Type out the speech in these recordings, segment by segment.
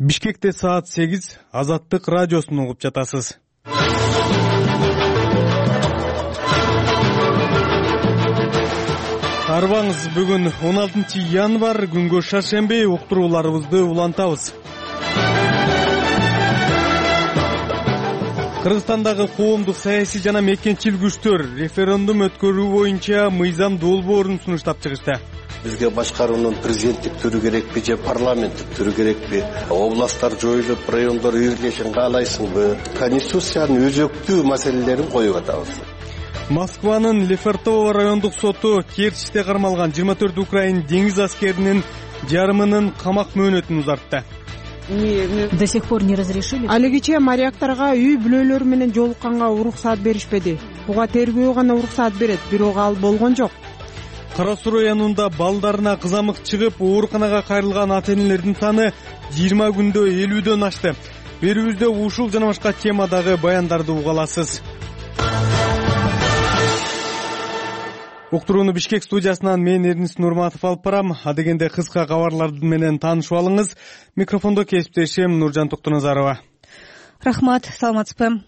Бишкекте саат 8 Азаттык радиосун угуп жатасыз. Арбаңыз, бүгүн 16 январь, күнгө шаршемби. Уктурууларыбызды улантабыз. Кыргызстандагы коомдук саясий жана мекенчил күчтөр референдум өткөрүү боюнча мыйзам долбоорун сунуштап чыгышты. Бизге башкаруунун президенттик түрү керекпи же парламенттик түрү керекпи? Областтар жоюлуп, райондор үй бирлешин каалайсыңбы? Конституциянын өзөктүү маселелерин коюп атабыз. Москванын Лефортово райондук соту Керчьте кармалган 24 украин деңиз аскеринин жарымынын камак мөөнөтүн узартты. До сих пор не разрешили. Алигиче моряктарга үй бүлөлөрү менен жолукканга уруксаат беришпеди. Буга тергөө гана уруксаат берет, бирок ал болгон жок. Кара Суу районунда балдарына кызамык чыгып, ооруканага кайрылган ата-энелердин саны 20 күндө 50дөн ашты. Берүүбүздө ушул жана башка темадагы баяндарды уга аласыз. Уктурууну Бишкек студиясынан мен Эрнис Нурматов алып барам. Адегенде кыска кабарлар менен таанышып алыңыз. Микрофондо кесиптешим Нуржан Токтоназарова. Рахмат, саламатсызбы?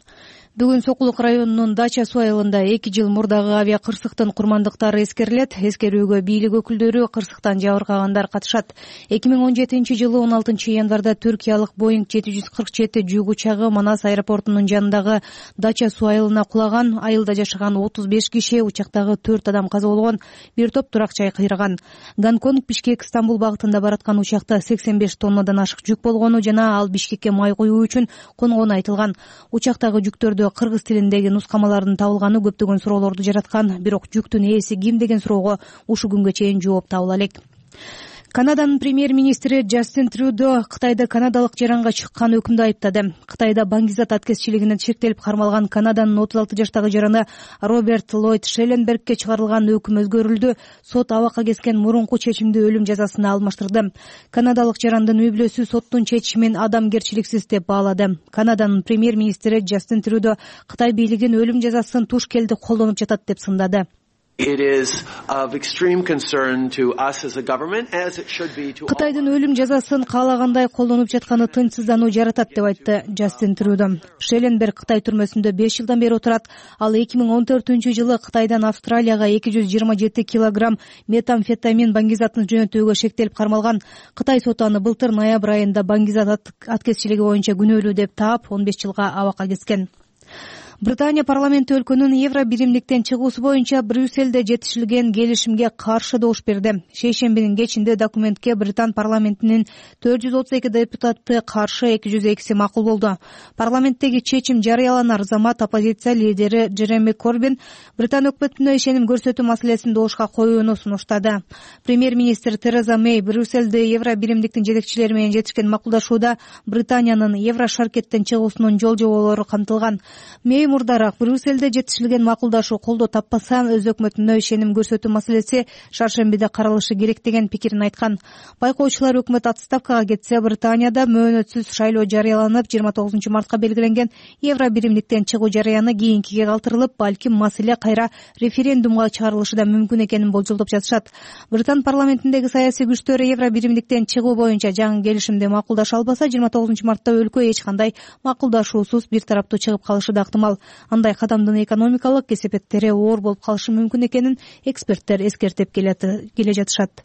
Бүгүн Сокулук районунун Дача суу айылында 2 жыл мурдагы авиа кырсыктын курмандыктары эскерилет. Эскерүүгө бийлик өкүлдөрү, кырсыктан жабыркагандар катышат. 2017-жылы 16 январда түркиялык Boeing 747 жүк учагы Манас аэропортунун жанындагы Дача суу айылына кулаган. Айылда жашаган 35 киши, учактагы 4 адам каза болгон, бир топ турак-жай кыйраган. Гонконг Бишкек Стамбул багытында бараткан учакта 85 тоннадан ашык жүк болгону жана ал Бишкекке май куюу үчүн конгону айтылган. Учактагы жүктөрдө кыргыз тилиндеги нускамалардын табылганы көптөгөн суроолорду жараткан, бирок жүктүн ээси ким деген суроого ушу күнгө чейин жооп табыла элек. Канаданын премьер-министри Джастин Трюдо Кытайда канадалык жаранга чыккан өкүмдү айыптады. Кытайда баңгизат аткезчилигинен шектелип кармалган Канаданын 36 жаштагы жараны Роберт Ллойд Шелленбергке чыгарылган өкүм өзгөрүлдү. Сот абакка кескен мурунку чечимди өлүм жазасына алмаштырды. Канадалык жарандын үй бүлөсү соттун чечимин адамгерчиликсиз деп баалады. Канаданын премьер-министри Джастин Трюдо Кытай бийлигин өлүм жазасын туш келди колдонуп жатат деп сындады. Кытайдын өлүм жазасын каалагандай колдонуп жатканы тынчсыздануу жаратат деп айтты Джастин Трюдо. Шелленберг Кытай түрмөсүндө 5 жылдан бери отурат. Ал 2014-жылы Кытайдан Австралияга 227 килограмм метамфетамин баңгизатын жөнөтүүгө шектелип кармалган. Кытай соту аны былтыр ноябрь айында баңгизат аткезчилиги боюнча күнөөлүү деп таап 15 жылга абакка кескен. Британия парламенти өлкөнүн евро биримдиктен чыгуусу боюнча Брюссельде жетишилген келишимге каршы добуш берди. Шейшембинин кечинде документке Британ парламентинин 432 депутаты каршы, 202 макул болду. Парламенттеги чечим жарыяланар замат оппозиция лидери Джереми Корбин Британ өкмөтүнө ишеним көрсөтүү маселесин добушка коюуну сунуштады. Премьер-министр Тереза Мэй Брюссельде евро биримдиктин жетекчилери менен жетишкен макулдашууда Британиянын евро шаркеттен чыгуусунун жол жоболору камтылган. Мэй мурдараак Брюссельде жетишилген макулдашуу колдоо таппаса, өз өкмөтүнө ишеним көрсөтүү маселеси шаршембиде каралышы керек деген пикирин айткан. Байкоочулар өкмөт отставкага кетсе, Британияда мөөнөтсүз шайлоо жарыяланып, 29 мартка белгиленген евро биримдиктен чыгуу жарыяны кийинкиге калтырылып, балким маселе кайра референдумга чыгарылышы да мүмкүн экенин болжолдоп жатышат. Британ парламентиндеги саясий күчтөр евро биримдиктен чыгуу боюнча жаңы келишимди макулдаша албаса, 29 мартта өлкө эч кандай макулдашуусуз бир тараптуу чыгып калышы да ыктымал. Андай кадамдын экономикалык кесепеттери оор болуп калышы мүмкүн экенин эксперттер эскертип келе жатышат.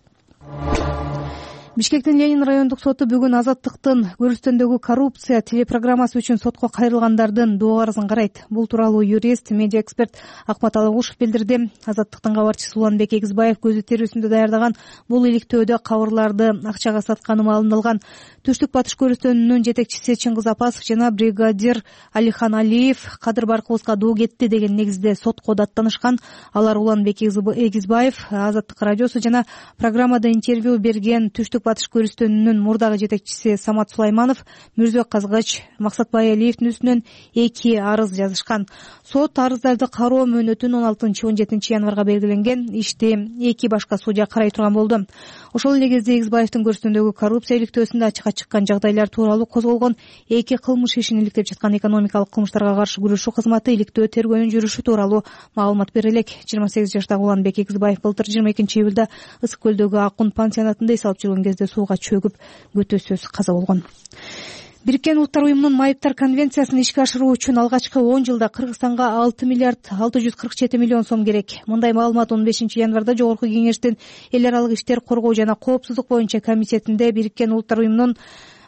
Бишкектин Ленин райондук соту бүгүн Азаттыктын Көрүстөндөгү коррупция телепрограммасы үчүн сотко кайрылгандардын доо арызын карайт. Бул тууралуу юрист, медиа эксперт Акмат Алагушев билдирди. Азаттыктын кабарчысы Уланбек Эгизбаев көзү терүүсүндө даярдаган бул иликтөөдө кабырларды акчага сатканы маалымдалган. Түштүк Батыш Көрүстөнүнүн жетекчиси Чыңгыз Апасов жана бригадир Алихан Алиев Кадыр Баркыбызга доо кетти деген негизде сотко даттанышкан. Алар Уланбек Эгизбаев, Азаттык радиосу жана программада интервью берген Түштүк Батыш Көрүстөнүнүн мурдагы жетекчиси Самат Сулайманов, Мирзөк Казгач, Максатбай Алиевдин үстүнөн 2 арыз жазышкан. Сот арыздарды кароо мөөнөтүн 16-17 январга белгиленген. Ишти 2 башка судья карай турган болду. Ошол эле кезде Эгизбаевдин Көрүстөндөгү коррупция иликтөөсүндө ачыкка чыккан жагдайлар тууралуу козголгон 2 кылмыш ишин иликтеп жаткан экономикалык кылмыштарга каршы күрөшүү кызматы иликтөө тергөөнүн жүрүшү тууралуу маалымат бере элек. 28 жаштагы Уланбек Эгизбаев былтыр 22 июлда Ысык көлдөгү Акун пансионатында эс алып жүргөн кезде жерде сууга чөгүп көтөсөз каза болгон. Бириккен Улуттар уюмунун майыптар конвенциясын ишке ашыруу үчүн алгачкы 10 жылда Кыргызстанга 6 миллиард 647 миллион сом керек. Мындай маалымат 15 январда Жогорку Кеңештин эл аралык иштер коргоо жана коопсуздук боюнча комитетинде Бириккен Улуттар уюмунун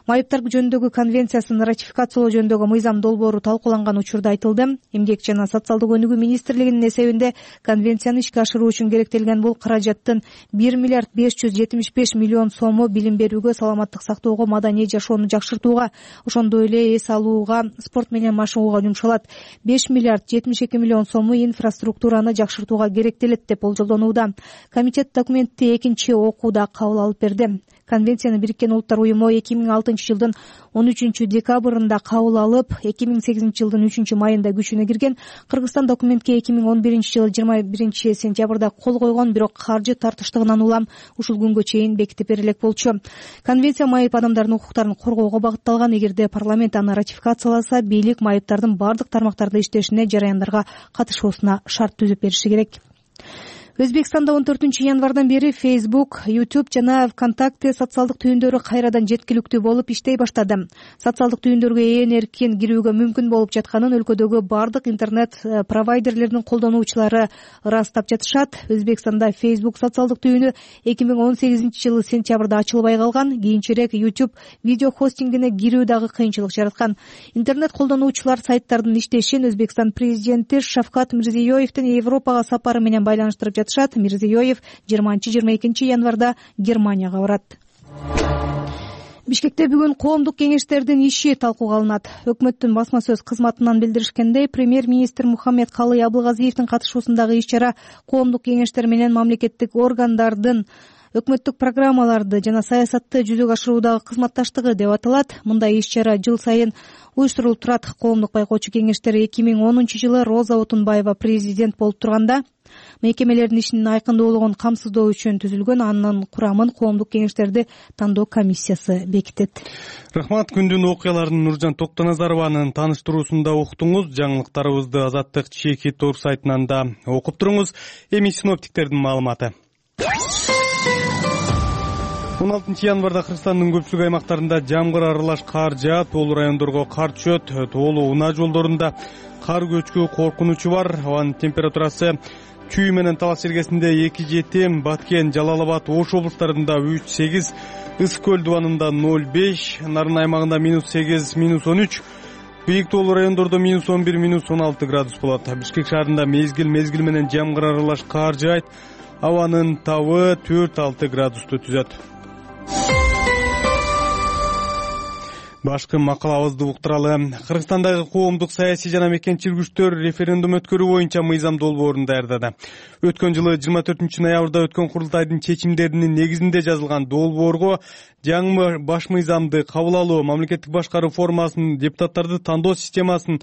майыптар жөнүндөгү конвенциясын ратификациялоо жөнүндөгү мыйзам долбоору талкууланган учурда айтылды. Эмгек жана социалдык өнүгүү министрлигинин эсебинде конвенцияны ишке ашыруу үчүн керектелген бул каражаттын 1 миллиард 575 миллион сому билим берүүгө, саламаттык сактоого, маданий жашоону жакшыртууга, ошондой эле эс алууга, спорт менен машыгууга жумшалат. 5 миллиард 72 миллион сому инфраструктураны жакшыртууга керектелет деп болжолдонууда. Комитет документти экинчи окууда кабыл алып берди. Конвенцияны Бириккен Улуттар уюму 2006 жылдын 13 декабрында кабыл алып, 2008 жылдын 3 майында күчүнө кирген. Кыргызстан документке 2011 жылы 21 сентябрда кол койгон, бирок каржы тартыштыгынан улам ушул күнгө чейин бекитип бере элек болчу. Конвенция майып адамдардын укуктарын коргоого багытталган. Эгерде парламент аны ратификацияласа, бийлик майыптардын бардык тармактарда иштешине, жараяндарга катышуусуна шарт түзүп бериши керек. Өзбекстанда 14 январдан бери Facebook, YouTube жана ВКонтакте социалдык түйүндөрү кайрадан жеткиликтүү болуп иштей баштады. Социалдык түйүндөргө эркин кирүүгө мүмкүн болуп жатканын өлкөдөгү бардык интернет провайдерлердин колдонуучулары ырастап жатышат. Өзбекстанда Facebook социалдык түйүнү 2018 жылы сентябрда ачылбай калган. Кийинчерээк YouTube видео хостингине кирүү дагы кыйынчылык жараткан. Интернет колдонуучулар сайттардын иштешин Өзбекстан президенти Шавкат Мирзиёевдин Европага сапары менен байланыштырып жатышат. Мирзиёев 20-22 январда Германияга барат. Бишкекте бүгүн коомдук кеңештердин иши талкууга алынат. Өкмөттүн басма сөз кызматынан билдиришкендей, премьер-министр Мухаммед Калый Абылгазиевдин катышуусундагы иш-чара коомдук кеңештер менен мамлекеттик органдардын өкмөттүк программаларды жана саясатты жүзөгө ашыруудагы кызматташтыгы деп аталат. Мындай иш-чара жыл сайын уюштурулуп турат. Коомдук байкоочу кеңештер 2010 жылы Роза Отунбаева президент болуп турганда мекемелердин ишин айкындуулугун камсыздоо үчүн түзүлгөн. Анын курамын коомдук кеңештерди тандоо комиссиясы бекитет. Рахмат. Күндүн окуяларын Нуржан Токтоназарованын тааныштыруусунда уктуңуз. Жаңылыктарыбызды Азаттык чеки тор сайтынан да окуп туруңуз. Эми синоптиктердин маалыматы. 16 январда Кыргызстандын көпчүлүк аймактарында жамгыр аралаш кар жаап, тоолуу райондорго кар түшөт. Тоолуу унаа жолдорунда кар көчкү коркунучу бар. Абанын температурасы Чүй менен Талас жергесинде 2-7, Баткен, Жалал-Абад, Ош облустарында 3-8, Ысык көл дубанында 0-5, Нарын аймагында -8, -13, бийик тоолуу райондордо -11, -16 градус болот. Бишкек шаарында мезгил менен жамгыр аралаш кар жаайт. Абанын табы 4-6 градусту түзөт. Башкы макалабызды уктуралы. Кыргызстандагы коомдук саясий жана мекенчилик күчтөр референдум өткөрүү боюнча мыйзам долбоорун даярдады. Өткөн жылы 24 ноябрда өткөн курултайдын чечимдеринин негизинде жазылган долбоорго жаңы баш мыйзамды кабыл алуу, мамлекеттик башкаруу формасынын, депутаттарды тандоо системасын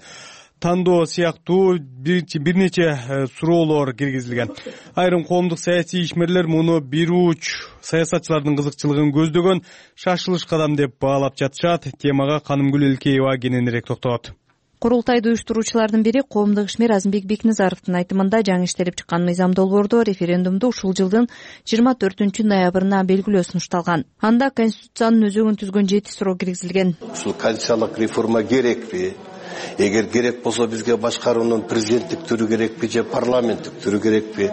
тандоо сыяктуу бир нече суроолор киргизилген. Айрым коомдук саясий ишмерлер муну бир уч саясатчылардын кызыкчылыгын көздөгөн шашылыш кадам деп баалап жатышат. Темага Канымгүл Элкеева кененирээк токтолот. Курултайды уюштуруучулардын бири коомдук ишмер Азымбек Бекназаровдун айтымында жаңы иштелип чыккан мыйзам долбоордо референдумду ушул жылдын 24 ноябрына белгилөө сунушталган. Анда Конституциянын өзөгүн түзгөн 7 суроо киргизилген. Ушул конституциялык реформа керекпи? Эгер керек болсо бизге башкаруунун президенттик түрү керекпи же парламенттик түрү керекпи?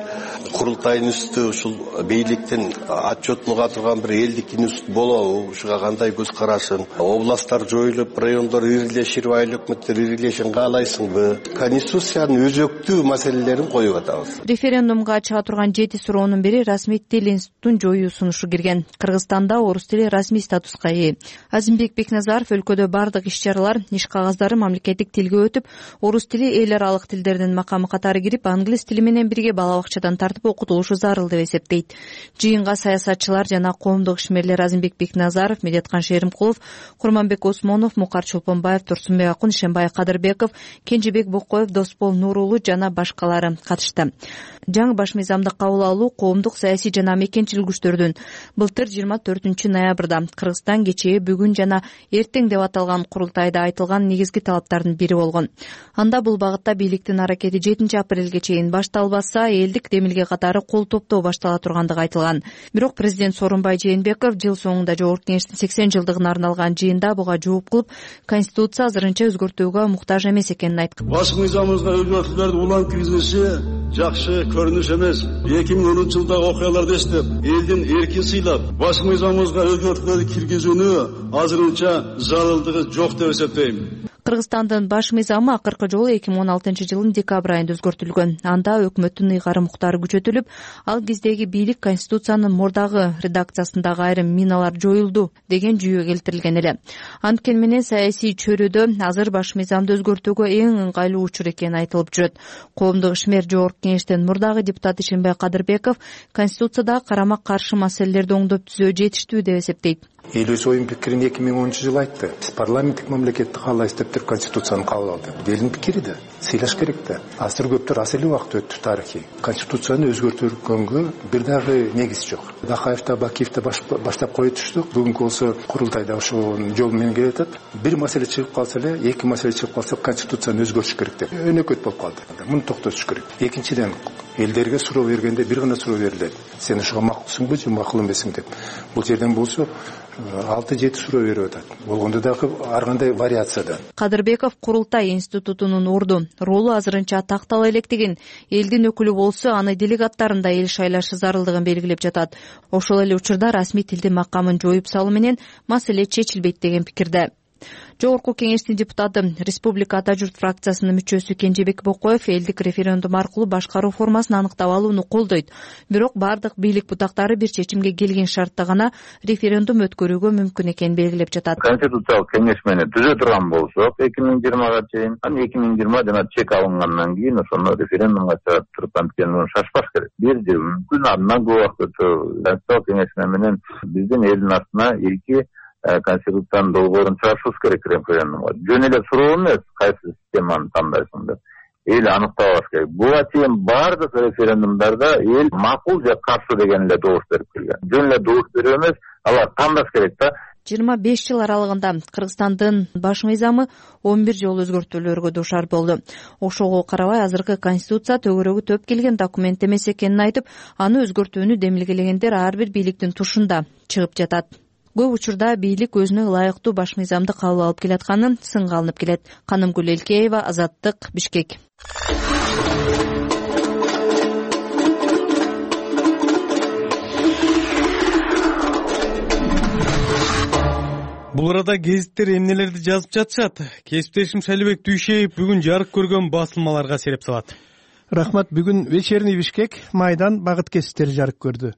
Курултайдын үстү ушул бийликтин отчетлуга турган бир элдик институт болобу? Ушуга кандай көз карашың? Областтар жоюлуп, райондор ирилешип, айыл өкмөттөр ирилешин каалайсыңбы? Конституциянын өзөктүү маселелерин коюп атабыз. Референдумга чыга турган 7 суроонун бири расмий тил институтун жоюу сунушу кирген. Кыргызстанда орус тили расмий статуска ээ. Азымбек Бекназаров өлкөдө бардык иш-чаралар, иш кагаздары мамлекеттик тилге өтүп, орус тили эл аралык тилдердин макамы катары кирип, англис тили менен бирге бала бакчадан тартып окутулушу зарыл деп эсептейт. Жыйынга саясатчылар жана коомдук ишмерлер Азымбек Бекназаров, Медеткан Шеримкулов, Курманбек Осмонов, Мукар Чолпонбаев, Турсунбек Акун, Ишенбай Кадырбеков, Кенжебек Бокоев, Доспол Нурулу жана башкалары катышты. Жаңы баш мыйзамды кабыл алуу коомдук саясий жана мекенчилик күчтөрдүн былтыр 24 ноябрда Кыргызстан кечээ, бүгүн жана эртең деп аталган курултайда айтылган негизги талаптар катардын бири болгон. Анда бул багытта бийликтин аракети 7-апрелге чейин башталбаса, элдик демилге катары кол топтоо баштала тургандыгы айтылган. Бирок президент Сооронбай Жээнбеков жыл соңунда Жогорку Кеңештин 80 жылдыгына арналган жыйында буга жооп кылып, Конституция азырынча өзгөртүүгө муктаж эмес экенин айткан. Башкы мыйзамыбызга өзгөртүүлөрдү улам киргизиши жакшы көрүнүш эмес. 2010 жылдагы окуяларды эстеп, элдин эркин сыйлап, башкы мыйзамыбызга өзгөртүүлөрдү киргизүүнү азырынча зарылдыгы жок деп эсептейм. Кыргызстандын баш мыйзамы акыркы жолу 2016 жылдын декабрь айында өзгөртүлгөн. Анда өкмөттүн ыйгары муктары күчөтүлүп, ал кездеги бийлик Конституциянын мурдагы редакциясындагы айрым миналар жоюлду деген жүйө келтирилген эле. Анткени менен саясий чөйрөдө азыр баш мыйзамды өзгөртүүгө эң ыңгайлуу учур экени айтылып жүрөт. Коомдук ишмер Жогорку Кеңештин мурдагы депутаты Ишенбай Кадырбеков Конституцияда карама каршы маселелерди оңдоп түзөө жетиштүү деп эсептейт. Эл өз оюн пикирин 2010 жылы айтты. Биз парламенттик мамлекетти каалайбыз деп туруп Конституцияны кабыл алды. Элдин пикири да, сыйлаш керек да. Азыр көптөр аз эле убакыт өттү тарыхый. Конституцияны өзгөртүүгө бир дагы негиз жок. Бакаев да, Бакиев да баштап кое түштүк. Бүгүнкү болсо курултайда ошол жол менен келатат. Бир маселе чыгып калса эле, эки маселе чыгып калса Конституцияны өзгөртүш керек деп өнөкөт болуп калды. Муну токтотуш керек. Экинчиден, элдерге суроо бергенде бир гана суроо берилет. Сен ошого макулсуңбу же макул эмессиң деп. Бул жерден болсо 6-7 суроо берип атат. Болгондо дагы ар кандай вариацияда. Кадырбеков курултай институтунун орду, ролу азырынча тактала электигин, элдин өкүлү болсо аны делегаттарында эл шайлашы зарылдыгын белгилеп жатат. Ошол эле учурда расмий тилдин макамын жоюп салуу менен маселе чечилбейт деген пикирде. Жогорку Кеңештин депутаты, Республика Ата журт фракциясынын мүчөсү Кенжебек Бокоев элдик референдум аркылуу башкаруу формасын аныктап алууну колдойт. Бирок бардык бийлик бутактары бир чечимге келген шартта гана референдум өткөрүүгө мүмкүн экенин белгилеп жатат. Конституциялык кеңеш менен түзө турган болсок, 2020га чейин, анан 2020 жана чек алынгандан кийин ошону референдумга чыгарып туруп, анткени шашпаш керек. Бир жыл мүмкүн андан көп убакыт өтө. Конституциялык кеңеш менен биздин элдин артына эки Конституциянын долбоорун чыгарышыбыз керек референдумга. Жөн эле суроо эмес, кайсы системаны тандайсың деп. Эл аныктап алыш керек. Буга чейин бардык референдумдарда эл макул же каршы деген эле добуш берип келген. Жөн эле добуш берүү эмес, алар тандаш керек да. 25 жыл аралыгында Кыргызстандын баш мыйзамы 11 жолу өзгөртүүлөргө дуушар болду. Ошого карабай азыркы Конституция төгөрөгү төп келген документ эмес экенин айтып, аны өзгөртүүнү демилгелегендер ар бир бийликтин тушунда чыгып жатат. Көп учурда бийлик өзүнө ылайыктуу баш мыйзамды кабыл алып келатканын сынга алынып келет. Канымгүл Элкеева, Азаттык, Бишкек. Бул арада гезиттер эмнелерди жазып жатышат? Кесиптешим Шалибек Дүйшеев бүгүн жарык көргөн басылмаларга сереп салат. Рахмат. Бүгүн Вечерний Бишкек, Майдан, Багыт кесиптери жарык көрдү.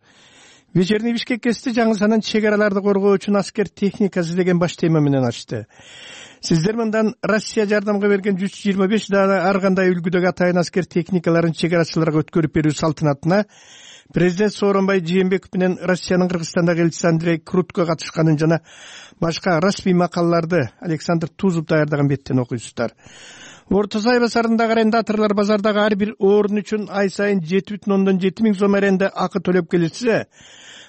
Вечерний Бишкек кести жаңы санын чек араларды коргоо үчүн аскер техникасы деген баш тема менен ачты. Сиздер мындан Россия жардамга берген 125 дана ар кандай үлгүдөгү атайын аскер техникаларын чек арачыларга өткөрүп берүү салтанатына президент Сооронбай Жээнбеков менен Россиянын Кыргызстандагы элчиси Андрей Крутко катышканын жана башка расмий макалаларды Александр Тузов даярдаган беттен окуйсуздар. Орто Сай базарындагы арендаторлор базардагы ар бир орун үчүн ай сайын 7,7 миң сом аренда акы төлөп келишсе,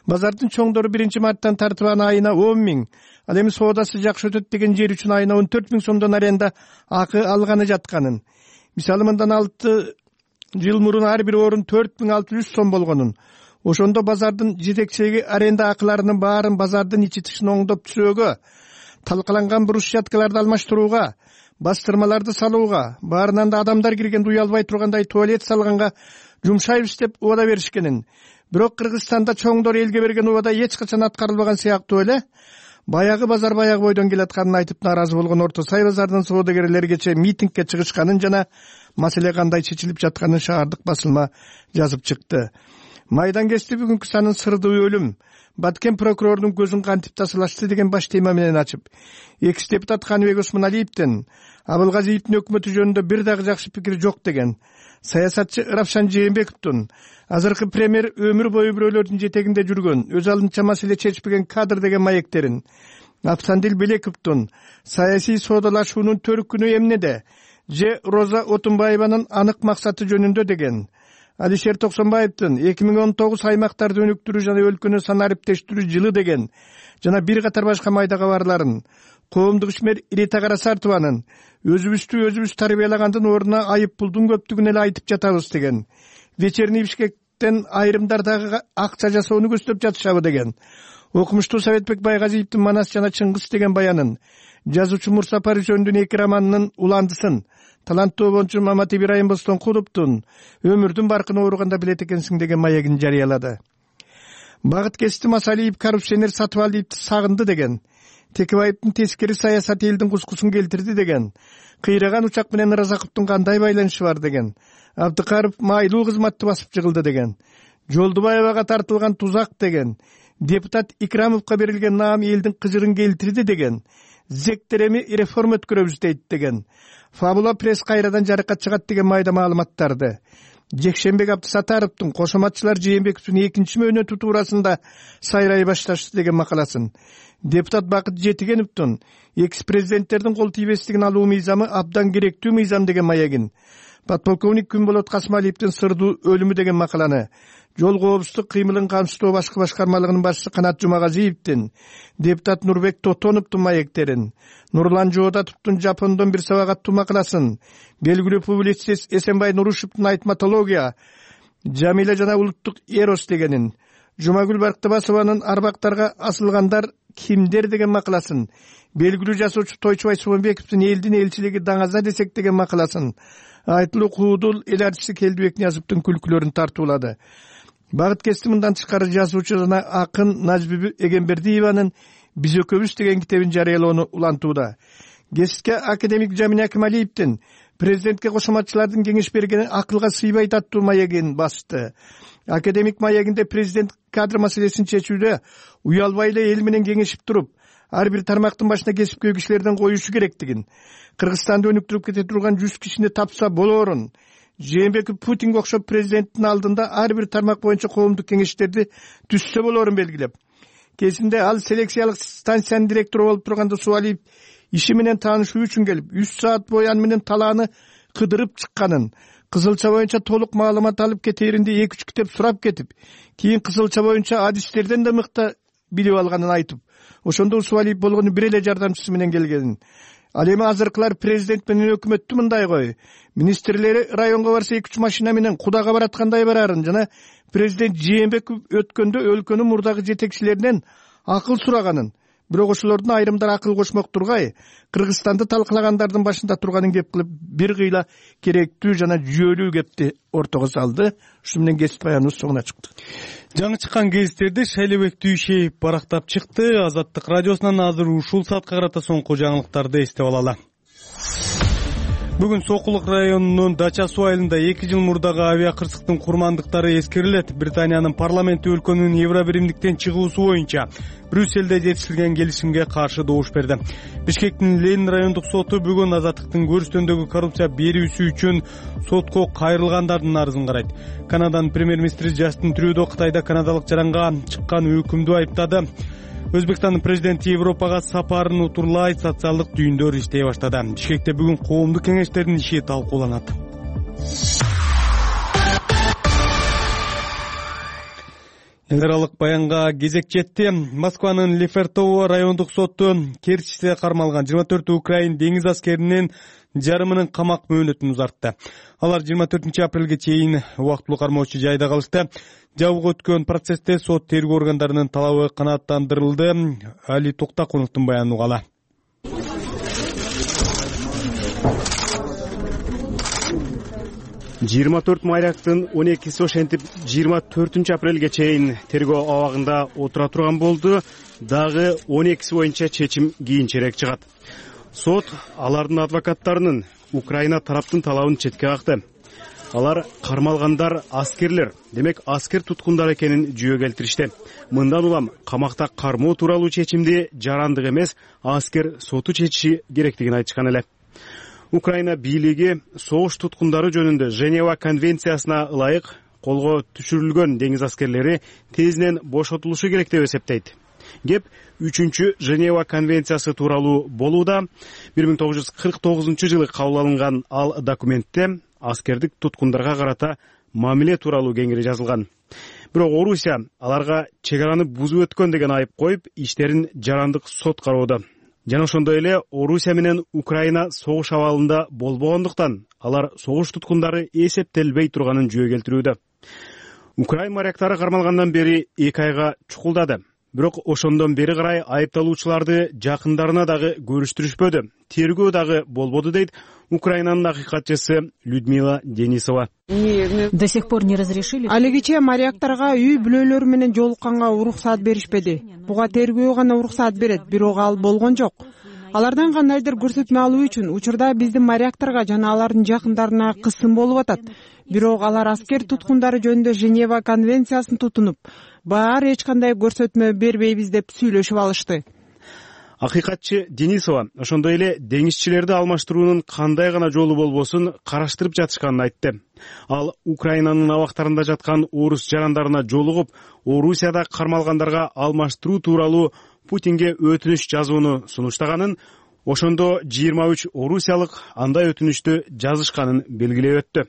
базардын чоңдору 1-марттан тартып аны айына 10 миң, ал эми соодасы жакшы өтөт деген жер үчүн айына 14 миң сомдон аренда акы алганы жатканын. Мисалы мындан 6 жыл мурун ар бир орун 4600 сом болгонун. Ошондо базардын жетекчилиги аренда акыларынын баарын базардын ичи тышын оңдоп түзөөгө, талкаланган брусчаткаларды алмаштырууга, бастырмаларды салууга, баарынан да адамдар киргенде уялбай тургандай туалет салганга жумшайбыз деп убада беришкенин. Бирок Кыргызстанда чоңдор элге берген убада эч качан аткарылбаган сыяктуу эле баягы базар баягы бойдон келатканын айтып нааразы болгон Орто Сай базарынын соодагерлери кечээ митингге чыгышканын жана маселе кандай чечилип жатканын шаардык басылма жазып чыкты. Майдан кести бүгүнкү санын сырдуу өлүм, Баткен прокурордун көзүн кантип тасалашты деген баш тема менен ачып, экс-депутат Каныбек Осмоналиевдин Абылгазиевдин өкмөтү жөнүндө бир дагы жакшы пикир жок деген, саясатчы Равшан Жээнбековдун азыркы премьер өмүр бою бирөөлөрдүн жетегинде жүргөн, өз алдынча маселе чечпеген кадр деген маектерин, Автандил Белековдун саясий соодалашуунун төркүнү эмнеде же Роза Отунбаеванын анык максаты жөнүндө деген, Алишер Токсонбаевдин 2019 аймактарды өнүктүрүү жана өлкөнү санариптештирүү жылы деген жана бир катар башка майда кабарларын, коомдук ишмер Ирита Карасартованын өзүбүз тарбиялагандын ордуна айып пулдун көптүгүн эле айтып жатабыз деген, вечерний Бишкектен айрымдар дагы акча жасоону көздөп жатышабы деген, окумуштуу Советбек Байгазиевдин Манас жана Чыңгыз деген баянын, жазуучу Мурса Парижөндүн 2 романынын уландысын, таланттуу обончу Мамат Ибрайым Бостонкуловдун өмүрдүн баркын ооруганда билет экенсиң деген маегин жарыялады. Багыт Кести Масалиев коррупционер Сатыбалиевди сагынды деген, Текебаевдин тескери саясаты элдин кускусун келтирди деген, кыйраган учак менен Ыразаковдун кандай байланышы бар деген, Абдыкаров майлуу кызматты басып жыгылды деген, Жолдубаевага тартылган тузак деген, депутат Икрамовго берилген наам элдин кыжырын келтирди деген, Зектереми реформа өткөрөбүз дейт деген, Фабула пресс кайрадан жарыкка чыгат деген майда маалыматтарды, Жекшенбек Абдысатаровдун кошоматчылар Жээнбековдун 2 мөөнөтү туурасында сайрай башташты деген макаласын, депутат Бакыт Жетигеновдун экс-президенттердин кол тийбестигин алуу мыйзамы абдан керектүү мыйзам деген маегин, подполковник Күнболот Касмалиевдин сырдуу өлүмү деген макаланы, жол коопсуздук кыймылын камсыздоо башкы башкармалыгынын башчысы Канат Жумагазиевдин, депутат Нурбек Тотоновдун маектерин, Нурлан Жоодатовдун Жапондон бир сабак аттуу макаласын, белгилүү публицист Эсенбай Нурушевдун айтматология, Жамиля жана улуттук эрос дегенин, Жумагүл Барктыбасованын арбактарга асылгандар кимдер деген макаласын, белгилүү жазуучу Тойчубай Субанбековдун элдин элчилиги даңаза десек деген макаласын, айтылуу куудул эл артисти Келдибек Ниязовдун күлкүлөрүн тартуулады. Багыт Кести мындан тышкары жазуучу жана акын Назбүбү Эгембердиеванын «Биз экөөбүз» деген китебин жарыялоону улантууда. Кесипке академик Жамин Акималиевдин президентке кошоматчылардын кеңеш бергени акылга сыйбайт аттуу маегин басты. Академик маегинде президент кадр маселесин чечүүдө уялбай эле эл менен кеңешип туруп, ар бир тармактын башына кесипкөй кишилерден коюшу керектигин, Кыргызстанды өнүктүрүп кете турган 100 кишини тапса болоорун, Жээнбеков Путинге окшоп президенттин алдында ар бир тармак боюнча коомдук кеңештерди түзсө болоорун белгилеп, кесинде ал селекциялык станциянын директору болуп турганда Субалиев иши менен таанышуу үчүн келип, 3 саат бою аны менен талааны кыдырып чыкканын, кызылча боюнча толук маалымат алып кетээринде 2-3 китеп сурап кетип, кийин кызылча боюнча адистерден да мыкты билип алганын айтып, ошондо Субалиев болгону бир эле жардамчысы менен келгенин. Ал эми азыркылар президент менен өкмөттү мындай кой, министрлери районго барса 2-3 машина менен кудага бараткандай барарын жана президент Жээнбеков өткөндө өлкөнүн мурдагы жетекчилеринен акыл сураганын, бирок ошолордун айрымдары акыл кошмок тургай, Кыргызстанды талкалагандардын башында турганын кеп кылып бир кыйла керектүү жана жүйөлүү кепти ортого салды. Ушу менен кесип баяныбыз соңуна чыкты. Жаңы чыккан гезиттерди Шайлебек Түйшеев барактап чыкты. Азаттык радиосунан азыр ушул саатка карата соңку жаңылыктарды эстеп алалы. Бүгүн Сокулук районунун Дача суу айылында 2 жыл мурдагы авиакырсыктын курмандыктары эскерилет. Британиянын парламенти өлкөнүн Евробиримдиктен чыгуусу боюнча Брюссельде жетишилген келишимге каршы добуш берди. Бишкектин Ленин райондук соту бүгүн Азаттыктын көрүстөндөгү коррупция берүүсү үчүн сотко кайрылгандардын арызын карайт. Канаданын премьер-министри Джастин Трюдо Кытайда канадалык жаранга чыккан өкүмдү айыптады. Өзбекстандын президенти Европага сапарын утурлай, социалдык түйүндөр иштей баштады. Бишкекте бүгүн коомдук кеңештердин иши талкууланат. Эл аралык баянга кезек жетти. Москванын Лефертово райондук соту Керчьте кармалган 24 украин деңиз аскеринин жарымынын камак мөөнөтүн узартты. Алар 24 апрелге чейин убактылуу кармоочу жайда калышты. Жабык өткөн процессте сот тергөө органдарынын талабы канааттандырылды. Али Токтакуновдун баянын угалы. «24 майрактын 12-си ошентип 24 апрелге чейин тергөө абагында отура турган болду. Дагы 12-си боюнча чечим кийинчерээк чыгат. Сот алардын адвокаттарынын Украина тараптын талабын четке какты. Алар кармалгандар аскерлер, демек аскер туткундар экенин жүйө келтиришти. Мындан улам камакта кармоо тууралуу чечимди жарандык эмес, аскер соту чечиши керектигин айтышкан эле. Украина бийлиги согуш туткундары жөнүндө Женева конвенциясына ылайык колго түшүрүлгөн деңиз аскерлери тезинен бошотулушу керек деп эсептейт. Кеп 3-чү Женева конвенциясы тууралуу болууда. 1949 жылы кабыл алынган ал документте аскердик туткундарга карата мамиле тууралуу кеңири жазылган. Бирок Орусия аларга чек араны бузуп өткөн деген айып коюп, иштерин жарандык сот кароодо. Жана ошондой эле Орусия менен Украина согуш абалында болбогондуктан алар согуш туткундары эсептелбей турганын жөө келтирүүдө. Украин моряктары кармалгандан бери 2 айга чукулдады. Бирок ошондон бери карай айыпталуучуларды жакындарына дагы көрүштүрүшпөдү. Тергөө дагы болбоду дейт Украинанын акыйкатчысы Людмила Денисова. До сих пор не разрешили. Алигиче моряктарга үй бүлөлөрү менен жолукканга уруксаат беришпеди. Буга тергөө гана уруксаат берет, бирок ал болгон жок. Алардан кандайдыр көрсөтмө алуу үчүн учурда биздин моряктарга жана алардын жакындарына кысым болуп атат. Бирок алар аскер туткундары жөнүндө Женева конвенциясын тутунуп, баары эч кандай көрсөтмө бербейбиз деп сүйлөшүп алышты. Акыйкатчы Денисова ошондой эле деңизчилерди алмаштыруунун кандай гана жолу болбосун караштырып жатышканын айтты. Ал Украинанын абактарында жаткан орус жарандарына жолугуп, Орусияда кармалгандарга алмаштыруу тууралуу Путинге өтүнүч жазууну сунуштаганын, ошондо 23 орусиялык андай өтүнүчтү жазышканын белгилеп өттү.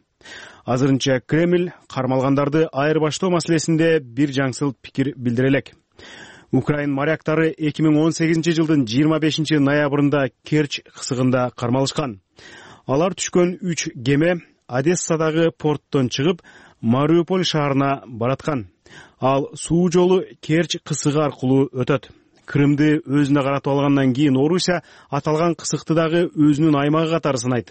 Азырынча Кремль кармалгандарды айырбаштоо маселесинде бир жаңсыл пикир билдире элек. Украин моряктары 2018 жылдын 25 ноябрында Керчь кысыгында кармалышкан. Алар түшкөн 3 кеме Одессадагы порттон чыгып, Мариуполь шаарына бараткан. Ал суу жолу Керчь кысыгы аркылуу өтөт. Крымды өзүнө каратып алгандан кийин Орусия аталган кысыкты дагы өзүнүн аймагы катары сынайт.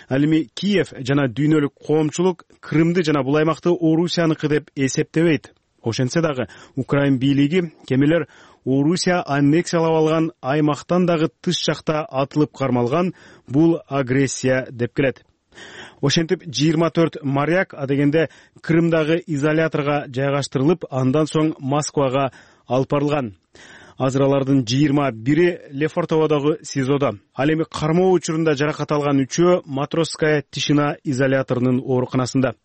Ал эми Киев жана дүйнөлүк коомчулук Крымды жана бул аймакты Орусияныкы деп эсептебейт. Ошентсе дагы Украин бийлиги кемелер Орусия аннексиялап алган аймактан дагы тыш жакта атылып кармалган, бул агрессия деп келет. Ошентип 24 моряк адегенде Крымдагы изоляторго жайгаштырылып, андан соң Москвага алып барылган. Азыр алардын 21-и Лефортоводогу СИЗОдо. Ал эми кармоо учурунда жаракат алган 3-өө Матросская тишина изоляторунун ооруканасында.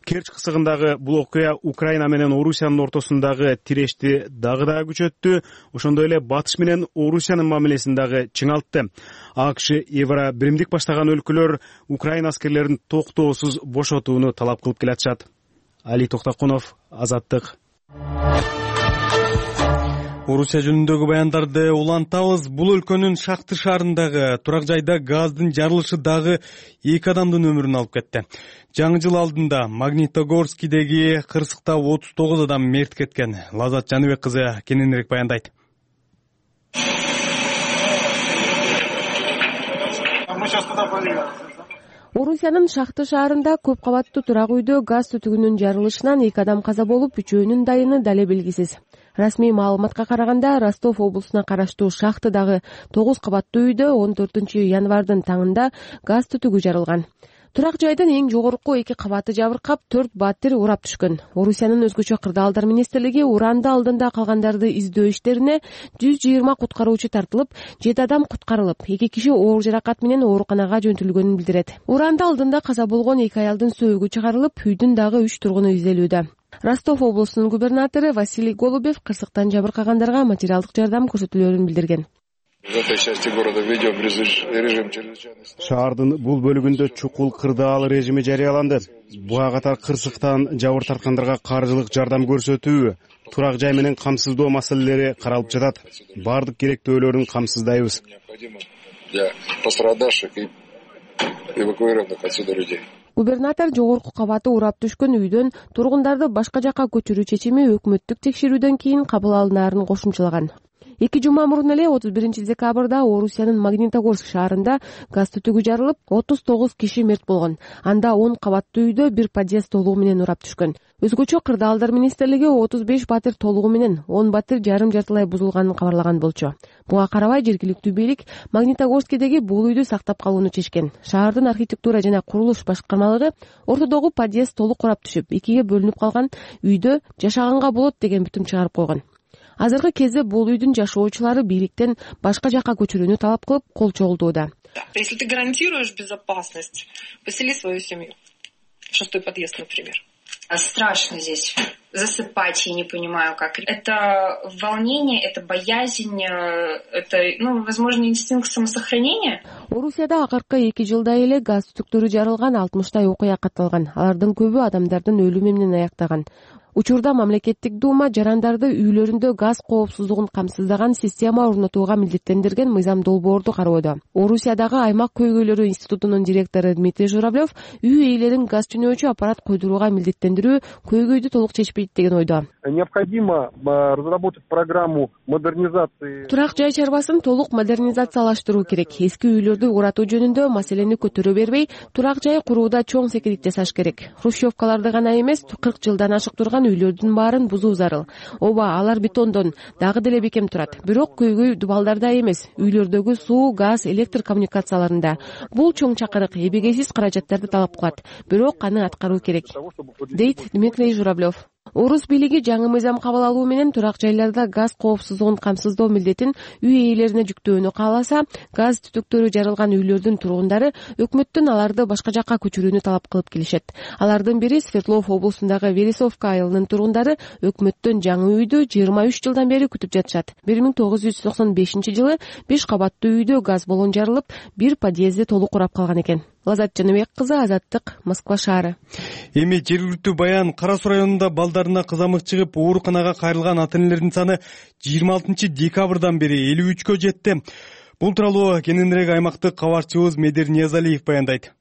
Керчь кысыгындагы бул окуя Украина менен Орусиянын ортосундагы тирешти дагы күчөттү. Ошондой эле Батыш менен Орусиянын мамилесин дагы чыңалтты. АКШ Евро биримдик баштаган өлкөлөр Украина аскерлерин токтоосуз бошотууну талап кылып келатышат. Али Токтокунов, Азаттык. Орусия жөнүндөгү баяндарды улантабыз. Бул өлкөнүн Шахты шаарындагы турак жайда газдын жарылышы дагы 2 адамдын өмүрүн алып кетти. Жаңы жыл алдында Магнитогорскийдеги кырсыкта 39 адам мерт кеткен. Лазат Жаныбек кызы кененирээк баяндайт. Орусиянын Шахты шаарында көп кабаттуу турак үйдө газ түтүгүнүн жарылышынан 2 адам каза болуп, 3-өөнүн дайыны дале белгисиз. Расмий маалыматка караганда, Ростов облусуна караштуу Шахтыдагы 9 кабаттуу үйдө 14 январдын таңында газ түтүгү жарылган. Турак жайдын эң жогорку 2 кабаты жабыркап, 4 баттер урап түшкөн. Орусиянын өзгөчө кырдаалдар министрлиги уранды алдында калгандарды издөө иштерине 120 куткаруучу тартылып, 7 адам куткарылып, 2 киши оор жаракат менен ооруканага жөнтүлгөнүн билдирет. Уранды алдында каза болгон 2 аялдын сөөгү чыгарылып, үйдүн дагы 3 тургуну изделүүдө. Ростов облусунун губернатору Василий Голубев кырсыктан жабыркагандарга материалдык жардам көрсөтүлөөрүн билдирген. Шаардын бул бөлүгүндө чукул кырдаал режими жарыяланды. Буга катар кырсыктан жабыр тарткандарга каржылык жардам көрсөтүү, турак жай менен камсыздоо маселелери каралып жатат. Бардык керектөөлөрүн камсыздайбыз. Губернатор жогорку кабаты урап түшкөн үйдөн тургундарды башка жакка көчүрүү чечими өкмөттүк текшерүүдөн кийин кабыл алынаарын кошумчалаган. 2 жума мурун эле 31 декабрда Орусиянын Магнитогорск шаарында газ түтүгү жарылып, 39 киши мерт болгон. Анда 10 кабаттуу үйдө бир подъезд толугу менен урап түшкөн. Өзгөчө кырдаалдар министрлиги 35 батир толугу менен 10 батир жарым жартылай бузулганын кабарлаган болчу. Буга карабай жергиликтүү бийлик Магнитогорскийдеги бул үйдү сактап калууну чечкен. Шаардын архитектура жана курулуш башкармалыгы ортодогу подъезд толук урап түшүп, 2ге бөлүнүп калган үйдө жашаганга болот деген бүтүм чыгарып койгон. Азыркы кезде бул үйдүн жашоочулары бийликтен башка жакка көчүрүүнү талап кылып, кол чогултууда. Если ты гарантируешь безопасность, посели свою семью. 6-й подъезд, например. Страшно здесь засыпать, я не понимаю, как. Это волнение, это боязнь, это, возможно, инстинкт самосохранения. Орусияда акыркы 2 жылда эле газ түтүктөрү жарылган 60 окуя катталган. Алардын көбү адамдардын өлүмү менен аяктаган. Учурда мамлекеттик дума жарандарды үйлөрүндө газ коопсуздугун камсыздаган система орнотууга милдеттендирген мыйзам долбоорду кароодо. Орусиядагы аймак көйгөйлөрү институтунун директору Дмитрий Журавлев үй ээлерин газ түнөөчү аппарат койдурууга милдеттендирүү көйгөйдү толук чечпейт деген ойдо. Необходимо разработать программу модернизации. Турак жай чарбасын толук модернизациялаштыруу керек. Эски үйлөрдү уратуу жөнүндө маселени көтөрө бербей, турак жай курууда чоң секирик жасаш керек. Хрущевкаларды гана эмес, 40 жылдан ашык турган үйлөрдүн баарын бузуу зарыл. Ооба, алар бетондон дагы деле бекем турат. Бирок көйгөй дубалдарда эмес, үйлөрдөгү суу, газ, электр коммуникацияларында. Бул чоң чакырык, эбегейсиз каражаттарды талап кылат. Бирок аны аткаруу керек, дейт Дмитрий Журавлев. Орус бийлиги жаңы мыйзам кабыл алуу менен турак жайларда газ коопсуздугун камсыздоо милдетин үй ээлерине жүктөөнү кааласа, газ түтүктөрү жарылган үйлөрдүн тургундары өкмөттөн аларды башка жакка көчүрүүнү талап кылып келишет. Алардын бири Свердлов облусундагы Вересовка айылынын тургундары өкмөттөн жаңы үйдү 23 жылдан бери күтүп жатышат. 1995-жылы 5 кабаттуу үйдө газ баллон жарылып, бир подъезди толук урап калган экен. Лазат Жаныбек кызы, Азаттык, Москва шаары. Эми жергиликтүү баян Кара Суу районунда балдарына кызамык чыгып ооруканага кайрылган ата-энелердин саны 26 декабрдан бери 53кө жетти. Бул тууралуу кененирээк аймактык кабарчыбыз Медер Ниязалиев баяндайт.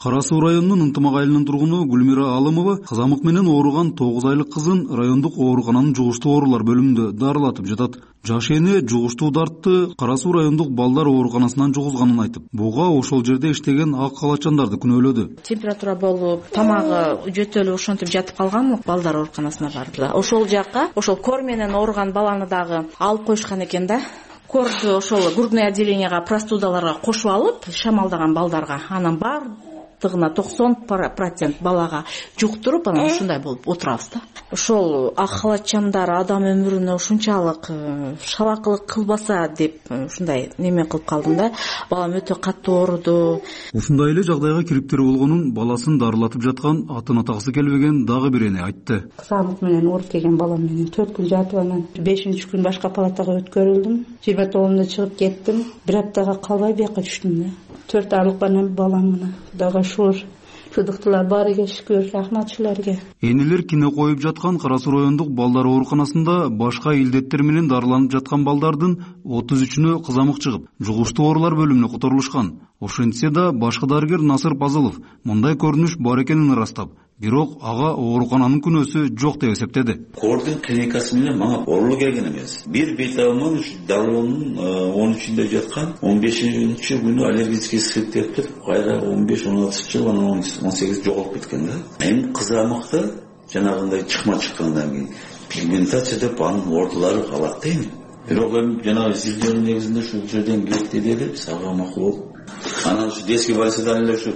Кара Суу районунун Ынтымак айылынын тургуну Гүлмира Алымова кызамык менен ооруган 9 айлык кызын райондук оорукананын жугуштуу оорулар бөлүмүндө дарылатып жатат. Жаш эне жугуштуу дартты Кара Суу райондук балдар ооруканасынан жугузганын айтып, буга ошол жерде иштеген ак калачандарды күнөөлөдү. Температура болуп, тамагы жөтөлүп ошентип жатып калган, балдар ооруканасына барды. Ошол жакка, ошол кор менен ооруган баланы дагы алып коюшкан экен да. Корду ошол грудное отделенияга, простудаларга кошуп алып, шамалдаган балдарга, анан бардыгына 90% балага жуктуруп, анан ушундай болуп отурабыз да. Ошол ак халатчандар адам өмүрүнө ушунчалык шалакылык кылбаса деп ушундай неме кылып калдым да. Балам өтө катуу ооруду. Ушундай эле жагдайга кириптери болгонун баласын дарылатып жаткан атын атагысы келбеген дагы бир эне айтты. Кызамык менен ооруп келген балам менен 4 күн жатып, анан 5-күн башка палатага өткөрүлдүм. 29-да чыгып кеттим. Бир аптага калбай бияка түштүм да. 4 айлык балам менен дагы шудуктулар баары шүкүр, рахмат силерге. Энелер кине коюп жаткан Кара Суу райондук балдар ооруканасында башка илдеттер менен дарыланып жаткан балдардын 33-үнө кызамык чыгып, жугуштуу оорулар бөлүмүнө которулушкан. Ошентсе да башкы дарыгер Насыр Пазылов мындай көрүнүш бар экенин ырастап, бирок ага оорукананын күнөөсү жок деп эсептеди. Кордун клиникасы менен мага оорулуу келген эмес. Бир беталман дарылоонун 13-үндө жаткан, 15-күнү аллергический сыйып туруп, кайра 15-16 анан 18 жоголуп кеткен да. Эми кызамыкта жанагындай чыкма чыккандан кийин пигментация деп анын ортолору калат дейм. Бирок эми жанагы изилдөөнүн негизинде ушул жерден кетти деди, сага макул болуп. Анан ушу детский больницадан эле ушу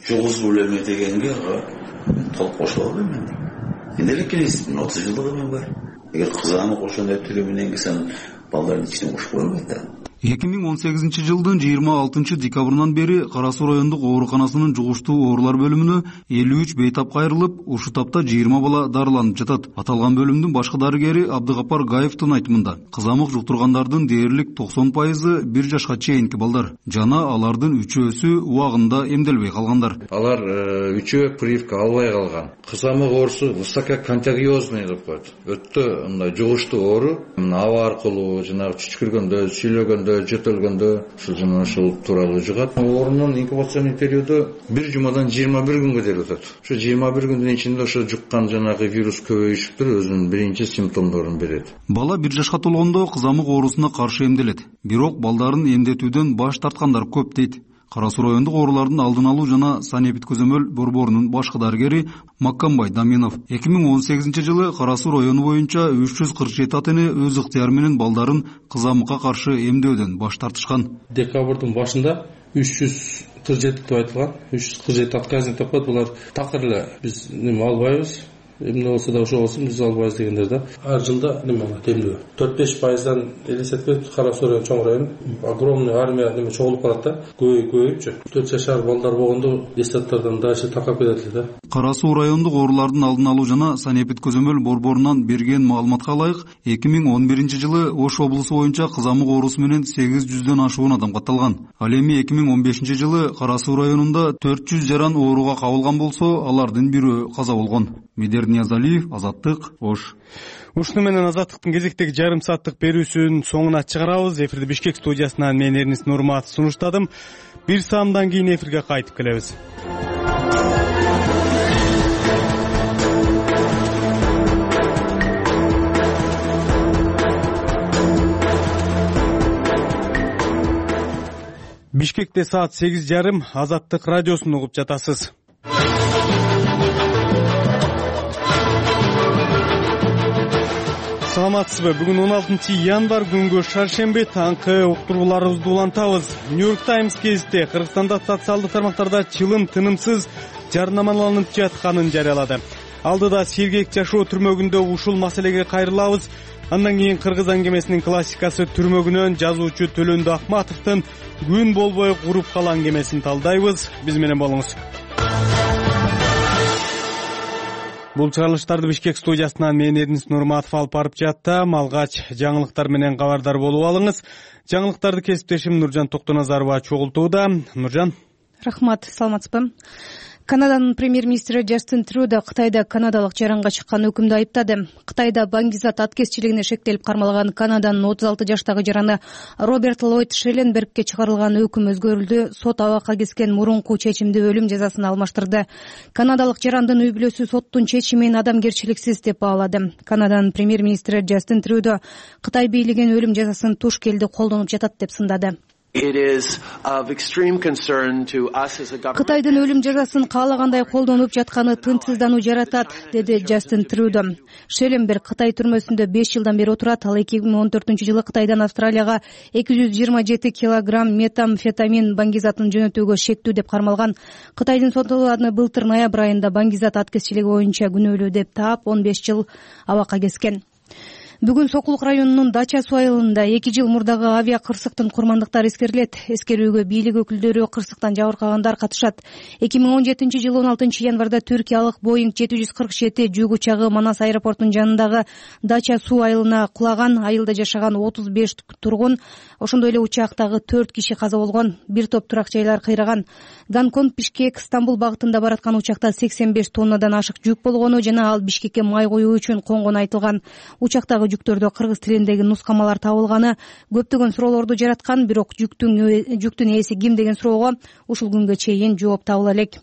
жугузуу эле дегенге толук кошула албайм мен. Эмнелик келесиз? 30 жылдыгым бар. Эгер кызамык ошондой түрү менен келсем, балдардын ичине кошуп койбойт да. 2018-жылдын 26 декабрынан бери Кара Суу райондук ооруканасынын жугуштуу оорулар бөлүмүнө 53 бейтап кайрылып, ушул тапта 20 бала дарыланып жатат. Аталган бөлүмдүн башкы дарыгери Абдыгапар Гаевдин айтымында, кызамык жуктургандардын дээрлик 90% 1 жашка чейинки балдар жана алардын үчөөсү убагында эмделбей калгандар. Алар үчөө прививка албай калган. Кызамык оорусу высококонтагиозный деп коет. Өтө мындай жугуштуу оору, аба аркылуу, жанагы чүчкүргөндө, сүйлөгөндө, жөтөлгөндө ушул тууралуу жугат. Оорунун инкубационный периоду 1 жумадан 21 күнгө дейин өтөт. Ошо 21 күндүн ичинде ошо жуккан жанагы вирус көбөйүшүп туруп өзүнүн биринчи симптомдорун берет. Бала 1 жашка толгондо кызамык оорусуна каршы эмделет. Бирок балдарын эмдетүүдөн баш тарткандар көп дейт. Кара Суу райондук оорулардын алдын алуу жана санэпид көзөмөл борборунун башкы дарыгери Маккамбай Даминов 2018-жылы Кара Суу району боюнча 347 ата-эне өз ыктыяры менен балдарын кызамыкка каршы эмдөөдөн баш тартышкан. Декабрдын башында 347 деп айтылган. 347 отказник деп коет. Булар такыр эле биз неме албайбыз. эмне болсо да ошо болсун, 106% дегендер да. Ар жылда неме темдөө 4-5%дан элестетпей Кара Суу району чоң район огромный армия неме чогулуп калат да. Көбөйүпчү. 4 жашар балдар болгондо детсадтардан дальше таркап кетет эле да. Кара Суу райондук оорулардын алдын алуу жана санэпид көзөмөл борборунан берген маалыматка ылайык 2011 жылы Ош облусу боюнча кызамык оорусу менен 800дөн ашуун адам катталган. Ал эми 2015 жылы Кара Суу районунда 400 жаран ооруга кабылган болсо, алардын бирөө каза болгон. Медер Ниязалиев, Азаттык, Ош. Ушуну менен Азаттыктын кезектеги жарым сааттык берүүсүнүн соңуна чыгарабыз. Эфирди Бишкек студиясынан мен Эрнис Нурматов сунуштадым. Бир саамдан кийин эфирге кайтып келебиз. Бишкекте саат 8:30 Азаттык радиосун угуп жатасыз. Саламатсызбы? Бүгүн 16 январь күнгө шаршемби таңкы уктурууларыбызды улантабыз. Нью-Йорк Таймс гезити Кыргызстанда социалдык тармактарда чылым тынымсыз жарнамаланып жатканын жарыялады. Алдыда сергек жашоо түрмөгүндө ушул маселеге кайрылабыз. Андан кийин Кыргыз аңгемесинин классикасы түрмөгүнөн жазуучу Төлөндү Акматовдун күн болбой куруп калган аңгемесин талдайбыз. Биз менен болуңуз. Бул чыгарылыштарды Бишкек студиясынан мен Эрнис Нурматов алып барып жаттым. Алгач жаңылыктар менен кабардар болуп алыңыз. Жаңылыктарды кесиптешим Нуржан Токтоназарова чогултууда. Нуржан. Рахмат, саламатсызбы? Канаданын премьер-министри Джастин Трюдо Кытайда канадалык жаранга чыккан өкүмдү айыптады. Кытайда баңгизат аткезчилигине шектелип кармалган Канаданын 36 жаштагы жараны Роберт Ллойд Шелленбергке чыгарылган өкүм өзгөрүлдү. Сот абакка кескен мурунку чечимди өлүм жазасына алмаштырды. Канадалык жарандын үй бүлөсү соттун чечимин адамгерчиликсиз деп баалады. Канаданын премьер-министри Джастин Трюдо Кытай бийлигин өлүм жазасын туш келди колдонуп жатат деп сындады. Кытайдын өлүм жазасын каалагандай колдонуп жатканы тынчсыздануу жаратат, деди Джастин Трюдо. Шелленберг Кытай түрмөсүндө 5 жылдан бери отурат. Ал 2014 жылы Кытайдан Австралияга 227 килограмм метамфетамин баңгизатын жөнөтүүгө шектүү деп кармалган. Кытайдын соты аны былтыр ноябрь айында баңгизат аткезчилиги боюнча күнөөлүү деп таап 15 жыл абакка кескен. Бүгүн Сокулук районунун Дача суу айылында 2 жыл мурдагы авиа кырсыктын курмандыктары эскерилет. Эскерүүгө бийлик өкүлдөрү, кырсыктан жабыркагандар катышат. 2017 жылы 16 январда Түркиялык Boeing 747 жүк учагы Манас аэропортунун жанындагы Дача суу айылына кулаган. Айылда жашаган 35 тургун, ошондой эле учактагы 4 киши каза болгон. Бир топ турак жайлар кыйраган. Гонконг, Бишкек, Стамбул багытында бараткан учакта 85 тоннадан ашык жүк болгону жана ал Бишкекке май коюу үчүн конгону айтылган. Учактагы жүктөрдө кыргыз тилиндеги нускамалар табылганы көптөгөн суроолорду жараткан, бирок жүктүн ээси ким деген суроого ушул күнгө чейин жооп табыла элек.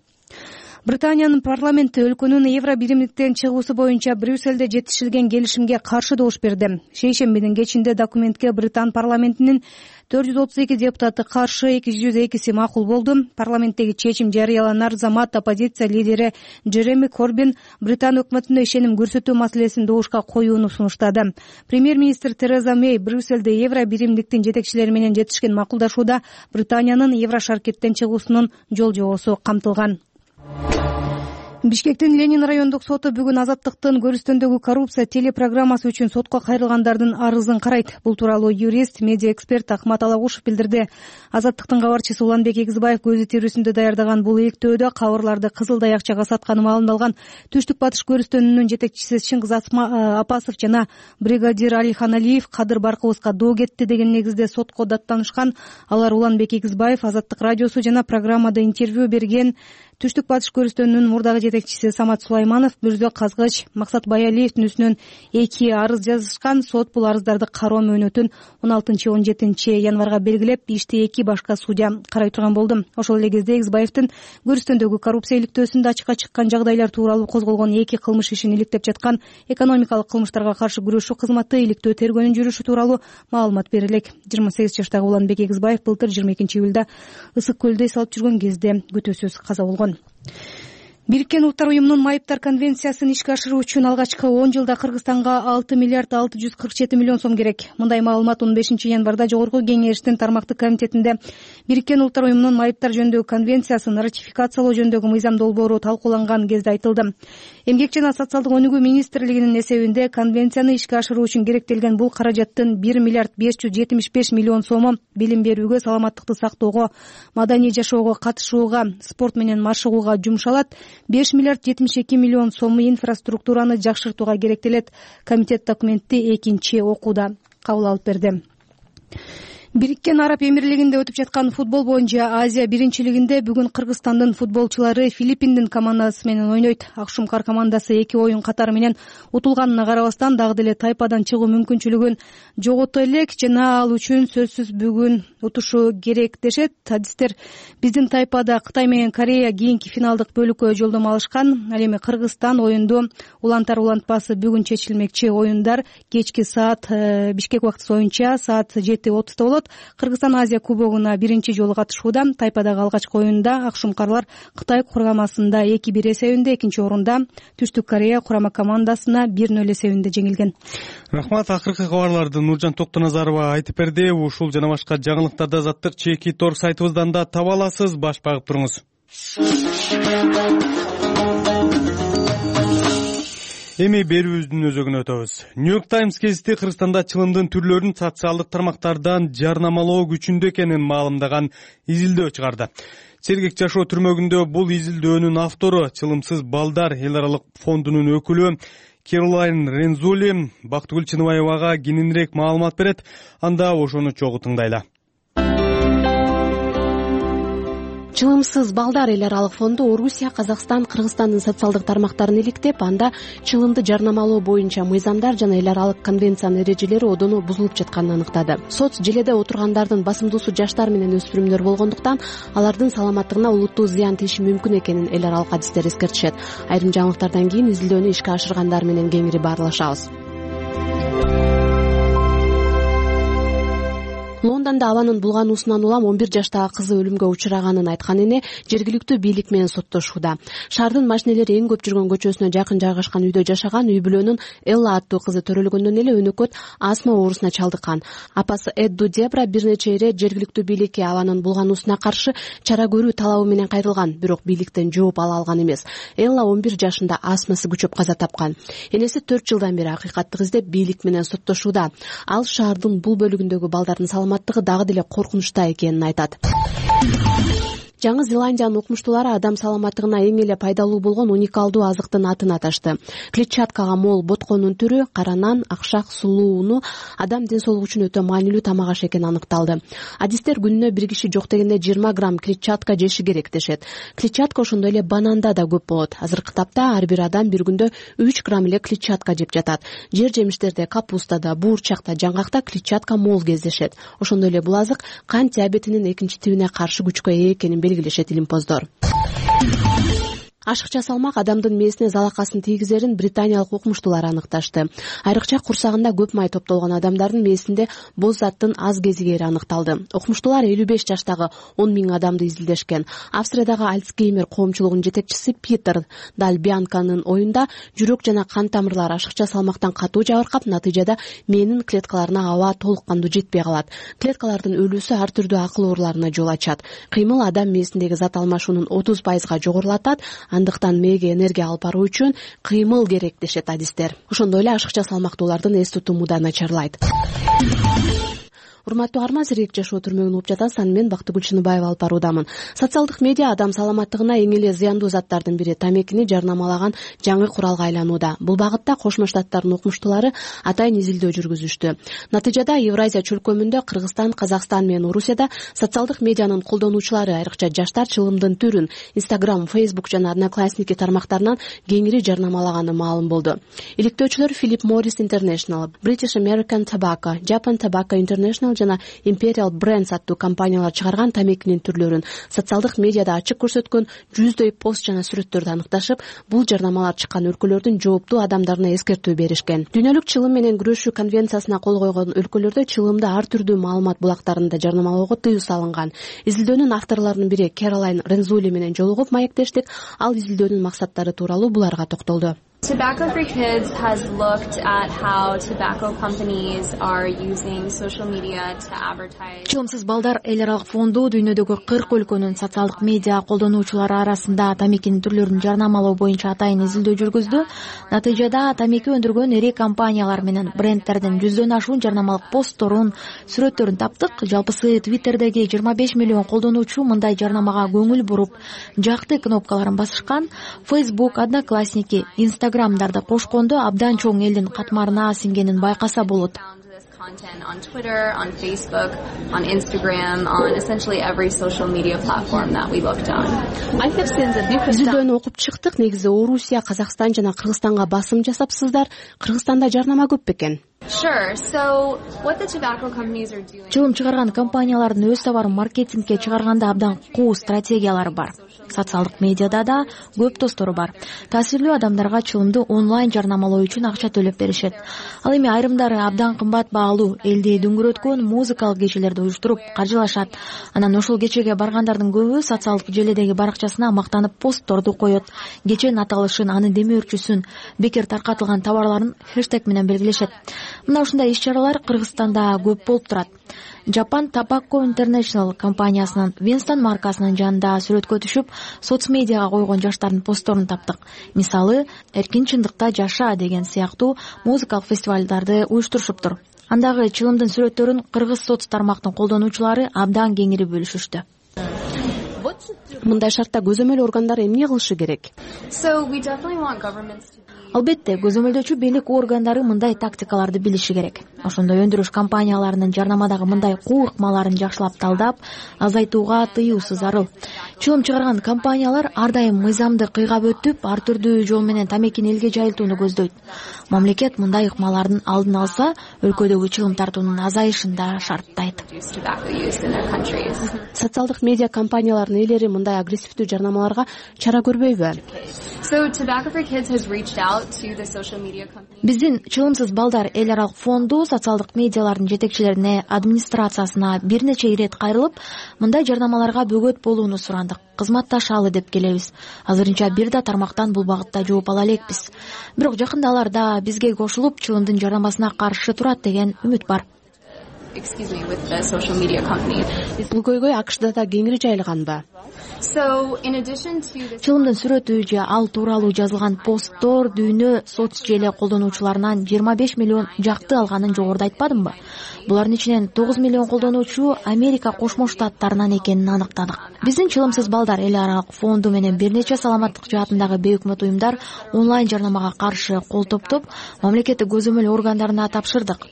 Британиянын парламенти өлкөнүн евро биримдиктен чыгуусу боюнча Брюссельде жетишилген келишимге каршы добуш берди. Шейшембинин кечинде документке Британ парламентинин 432 депутаты каршы, 202 макул болду. Парламенттеги чечим жарыяланар замат оппозиция лидери Джереми Корбин Британ өкмөтүнө ишеним көрсөтүү маселесин добушка коюуну сунуштады. Премьер-министр Тереза Мэй Брюссельде евро биримдиктин жетекчилери менен жетишкен макулдашууда Британиянын евро шаркеттен чыгуусунун жол жобосу камтылган. Бишкектин Ленин райондук соту бүгүн Азаттыктын көрүстөндөгү коррупция телепрограммасы үчүн сотко кайрылгандардын арызын карайт. Бул тууралуу юрист, медиа эксперт Акмат Алагушев билдирди. Азаттыктын кабарчысы Уланбек Эгизбаев көзү тирүүсүндө даярдаган бул иликтөөдө кабырларды Кызыл Даякчага сатканы маалымдалган. Түштүк батыш көрүстөнүнүн жетекчиси Чыңгыз Апасов жана бригадир Алихан Алиев Кадыр Баркыбызга доо кетти деген негизде сотко даттанышкан. Алар Уланбек Эгизбаев, Азаттык радиосу жана программада интервью берген Түштүк батыш көрүстөнүнүн мурдагы жетекчиси Самат Сулайманов, Бүрзө Казгыч, Максат Баялиевдин үстүнөн 2 арыз жазышкан. Сот бул арыздарды кароо мөөнөтүн 16-17 январга белгилеп, ишти 2 башка судья карай турган болду. Ошол эле кезде Эгизбаевдин көрүстөндөгү коррупция иликтөөсүндө ачыкка чыккан жагдайлар тууралуу козголгон 2 кылмыш ишин иликтеп жаткан экономикалык кылмыштарга каршы күрөшүү кызматы иликтөө тергөөнүн жүрүшү тууралуу маалымат берилек. 28 жаштагы Уланбек Эгизбаев былтыр 22 июлда Ысык көлдө эс алып жүргөн кезде күтүүсүз каза болгон. Бириккен Улуттар уюмунун майыптар конвенциясын ишке ашыруу үчүн алгачкы 10 жылда Кыргызстанга 6 миллиард 647 миллион сом керек. Мындай маалымат 15 январда Жогорку Кеңештин тармактык комитетинде Бириккен Улуттар уюмунун майыптар жөнүндөгү конвенциясын ратификациялоо жөнүндөгү мыйзам долбоору талкууланган кезде айтылды. Эмгек жана социалдык өнүгүү министрлигинин эсебинде конвенцияны ишке ашыруу үчүн керектелген бул каражаттын 1 миллиард 575 миллион сому билим берүүгө, саламаттыкты сактоого, маданий жашоого катышууга, спорт менен машыгууга жумшалат. 5 миллиард 72 миллион сому инфраструктураны жакшыртууга керектелет. Комитет документти экинчи окууда кабыл алып берди. Бириккен Араб Эмирлигинде өтүп жаткан футбол боюнча Азия биринчилигинде бүгүн Кыргызстандын футболчулары Филиппиндин командасы менен ойнойт. Акшумкар командасы 2 оюн катары менен утулганына карабастан дагы деле тайпадан чыгуу мүмкүнчүлүгүн жогото элек жана ал үчүн сөзсүз бүгүн утушу керек дешет. Адистер биздин тайпада Кытай менен Корея кийинки финалдык бөлүккө жолдомо алышкан. Ал эми Кыргызстан оюнду улантар улантпасы бүгүн чечилмекчи. Оюндар кечки саат Бишкек убактысы боюнча саат 7:30 болот. Кыргызстан Азия кубогуна биринчи жолу катышууда. Тайпадагы алгачкы оюнда Акшумкарлар Кытай кургамасында 2-1 эсебинде, экинчи орунда Түштүк Корея курама командасына 1-0 эсебинде жеңилген. Рахмат. Акыркы кабарларды Нуржан Токтоназарова айтып берди. Ушул жана башка жаңылыктарды азаттык чеки тор сайтыбыздан да таба аласыз. Баш багып туруңуз. Эми берүүбүздүн өзөгүнө өтөбүз. New York Times гезити Кыргызстанда чылымдын түрлөрүн социалдык тармактардан жарнамалоо күчүндө экенин маалымдаган изилдөө чыгарды. Сергек жашоо түрмөгүндө бул изилдөөнүн автору чылымсыз балдар эл аралык фондунун өкүлү Керолайн Рензули Бактыгүл Чыныбаевага кененирээк маалымат берет. Анда ошону чогуу тыңдайлы. Чылымсыз балдар эл аралык фонду Орусия, Казакстан, Кыргызстандын социалдык тармактарын иликтеп, анда чылымды жарнамалоо боюнча мыйзамдар жана эл аралык конвенциянын эрежелери одоно бузулуп жатканын аныктады. Соц желеде отургандардын басымдуусу жаштар менен өспүрүмдөр болгондуктан алардын саламаттыгына олуттуу зыян тийиши мүмкүн экенин эл аралык адистер эскертишет. Айрым жаңылыктардан кийин изилдөөнү ишке ашыргандар менен кеңири баарлашабыз. Лондондо абанын булгануусунан улам 11 жаштагы кызы өлүмгө учураганын айткан эне жергиликтүү бийлик менен соттошууда. Шаардын машинелери эң көп жүргөн көчөсүнө жакын жайгашкан үйдө жашаган үй бүлөнүн Элла аттуу кызы төрөлгөндөн эле өнөкөт астма оорусуна чалдыккан. Апасы Эдду Дебра бир нече ирет жергиликтүү бийликке абанын булгануусуна каршы чара көрүү талабы менен кайрылган, бирок бийликтен жооп ала алган эмес. Элла 11 жашында астмасы күчөп каза тапкан. Энеси 4 жылдан бери акыйкатты издеп бийлик менен соттошууда. Ал шаардын бул бөлүгүндөгү балдардын саламаттыгы дагы деле коркунучта экенин айтат. Жаңы Зеландиянын укмуштуулары адам саламаттыгына эң эле пайдалуу болгон уникалдуу азыктын атын аташты. Клетчаткага мол ботконун түрү кара нан, акшак, сулуу уну адам ден соолугу үчүн өтө маанилүү тамак аш экени аныкталды. Адистер күнүнө бир киши жок дегенде 20 грамм клетчатка жеши керек дешет. Клетчатка ошондой эле бананда да көп болот. Азыркы тапта ар бир адам бир күндө 3 грамм эле клетчатка жеп жатат. Жер жемиштерде, капустада, буурчакта, жаңгакта клетчатка мол кездешет. Ошондой эле бул азык кант диабетинин экинчи тибине каршы күчкө ээ экенин белгилешет илимпоздор. Ашыкча салмак адамдын мээсине залакасын тийгизерин британиялык укмуштуулар аныкташты. Айрыкча курсагында көп май топтолгон адамдардын мээсинде боз заттын аз кезигери аныкталды. Укмуштуулар 55 жаштагы 10 000 адамды изилдешкен. Австриядагы Альцгеймер коомчулугунун жетекчиси Питер Дальбианканын оюнда жүрөк жана кан тамырлары ашыкча салмактан катуу жабыркап, натыйжада мээнин клеткаларына аба толук кандуу жетпей калат. Клеткалардын өлүүсү ар түрдүү акыл ооруларына жол ачат. Кыймыл адам мээсиндеги зат алмашуунун 30%га жогорулатат. Андыктан мээге энергия алып баруу үчүн кыймыл керек дешет адистер. Ошондой эле ашыкча салмактуулардын эс тутуму да начарлайт. Урматтуу арма, Сергек жашоо түрмөгүн угуп жатасыз. Аны мен Бактыгүл Чыныбаева алып баруудамын. Социалдык медиа адам саламаттыгына эң эле зыяндуу заттардын бири тамекини жарнамалаган жаңы куралга айланууда. Бул багытта Кошмо Штаттардын укмуштуулары атайын изилдөө жүргүзүштү. Натыйжада Евразия чөлкөмүндө Кыргызстан, Казакстан менен Орусияда социалдык медианын колдонуучулары, айрыкча жаштар чылымдын түрүн Instagram, Facebook жана Одноклассники тармактарынан кеңири жарнамалаганы маалым болду. Иликтөөчүлөр Philip Morris International, British American Tobacco, Japan Tobacco International International жана Imperial Brands аттуу компаниялар чыгарган тамекинин түрлөрүн социалдык медиада ачык көрсөткөн 100дөй пост жана сүрөттөрдү аныкташып, бул жарнамалар чыккан өлкөлөрдүн жооптуу адамдарына эскертүү беришкен. Дүйнөлүк чылым менен күрөшүү конвенциясына кол койгон өлкөлөрдө чылымды ар түрдүү маалымат булактарында жарнамалоого тыюу салынган. Изилдөөнүн авторлорунун бири Кэролайн Рензули менен жолугуп маектештик. Ал изилдөөнүн максаттары тууралуу буларга токтолду. Tobacco for Kids has looked at how tobacco companies are using social media to advertise. Чылымсыз балдар эл аралык фонду дүйнөдөгү 40 өлкөнүн социалдык медиа колдонуучулары арасында тамекинин түрлөрүн жарнамалоо боюнча атайын изилдөө жүргүздү. Натыйжада тамеки өндүргөн ири компаниялар менен брендтердин 100дөн ашуун жарнамалык постторун, сүрөттөрүн таптык. Жалпысы Twitterдеги 25 миллион колдонуучу мындай жарнамага көңүл буруп, жакты кнопкаларын басышкан. Facebook, Одноклассники, Instagram'дарда кошкондо абдан чоң элдин катмарына сиңгенин байкаса болот. Content on Twitter, on Facebook, on Instagram, on essentially every social media platform that we looked on. Изилдөөнү окуп чыктык. Негизи Орусия, Казакстан жана Кыргызстанга басым жасапсыздар. Кыргызстанда жарнама көп бекен? Sure. So what the tobacco companies are doing. Чылым чыгарган компаниялардын өз товарын маркетингке чыгарганда абдан куу стратегиялары бар. Социалдык медиада да көп достору бар. Таасирлүү адамдарга чылымды онлайн жарнамалоо үчүн акча төлөп беришет. Ал эми айрымдары абдан кымбат баалуу элди дүңгүрөткөн музыкалык кечелерди уюштуруп каржылашат. Анан ошол кечеге баргандардын көбү социалдык желедеги баракчасына мактанып постторду коет. Кеченин аталышын, анын демөөрчүсүн, бекер таркатылган товарларын хэштег менен белгилешет. Мына ушундай иш-чаралар Кыргызстанда көп болуп турат. Japan Tobacco International компаниясынын Winston маркасынын жанында сүрөткө түшүп, соцмедиага койгон жаштардын постторун таптык. Мисалы, эркин чындыкта жаша деген сыяктуу музыкалык фестивалдарды уюштурушуптур. Андагы чылымдын сүрөттөрүн кыргыз соц тармактын колдонуучулары абдан кеңири бөлүшүштү. Мындай шартта көзөмөл органдары эмне кылышы керек? So we definitely want governments to Албетте, көзөмөлдөөчү бийлик органдары мындай тактикаларды билиши керек. Ошондой өндүрүш компанияларынын жарнамадагы мындай куу ыкмаларын жакшылап талдап, азайтууга тыюусу зарыл. Чылым чыгарган компаниялар ар дайым мыйзамды кыйгап өтүп, ар түрдүү жол менен тамекини элге жайылтууну көздөйт. Мамлекет мындай ыкмалардын алдын алса, өлкөдөгү чылым тартуунун азайышын да шарттайт. Социалдык медиа компаниялардын ээлери мындай агрессивдүү жарнамаларга чара көрбөйбү? So Tobacco for Kids has reached out to the social media companies. Биздин чылымсыз балдар эл аралык фонду социалдык медиалардын жетекчилерине, администрациясына бир нече ирет кайрылып, мындай жарнамаларга бөгөт болууну сурандык. Кызматташалы деп келебиз. Азырынча бир да тармактан бул багытта жооп ала элекпиз. Бирок жакында алар да бизге кошулуп, чылымдын жарнамасына каршы турат деген үмүт бар. With the social media companies. Бул көйгөй АКШда да кеңири жайылганбы? So in addition to this Чылымдын сүрөтү же ал тууралуу жазылган посттор дүйнө соц желе колдонуучуларынан 25 миллион жакты алганын жогоруда айтпадымбы? Булардын ичинен 9 миллион колдонуучу Америка Кошмо Штаттарынан экенин аныктадык. Биздин чылымсыз балдар эл аралык фонду менен бир нече саламаттык жаатындагы бейөкмөт уюмдар онлайн жарнамага каршы кол топтоп, мамлекеттик көзөмөл органдарына тапшырдык.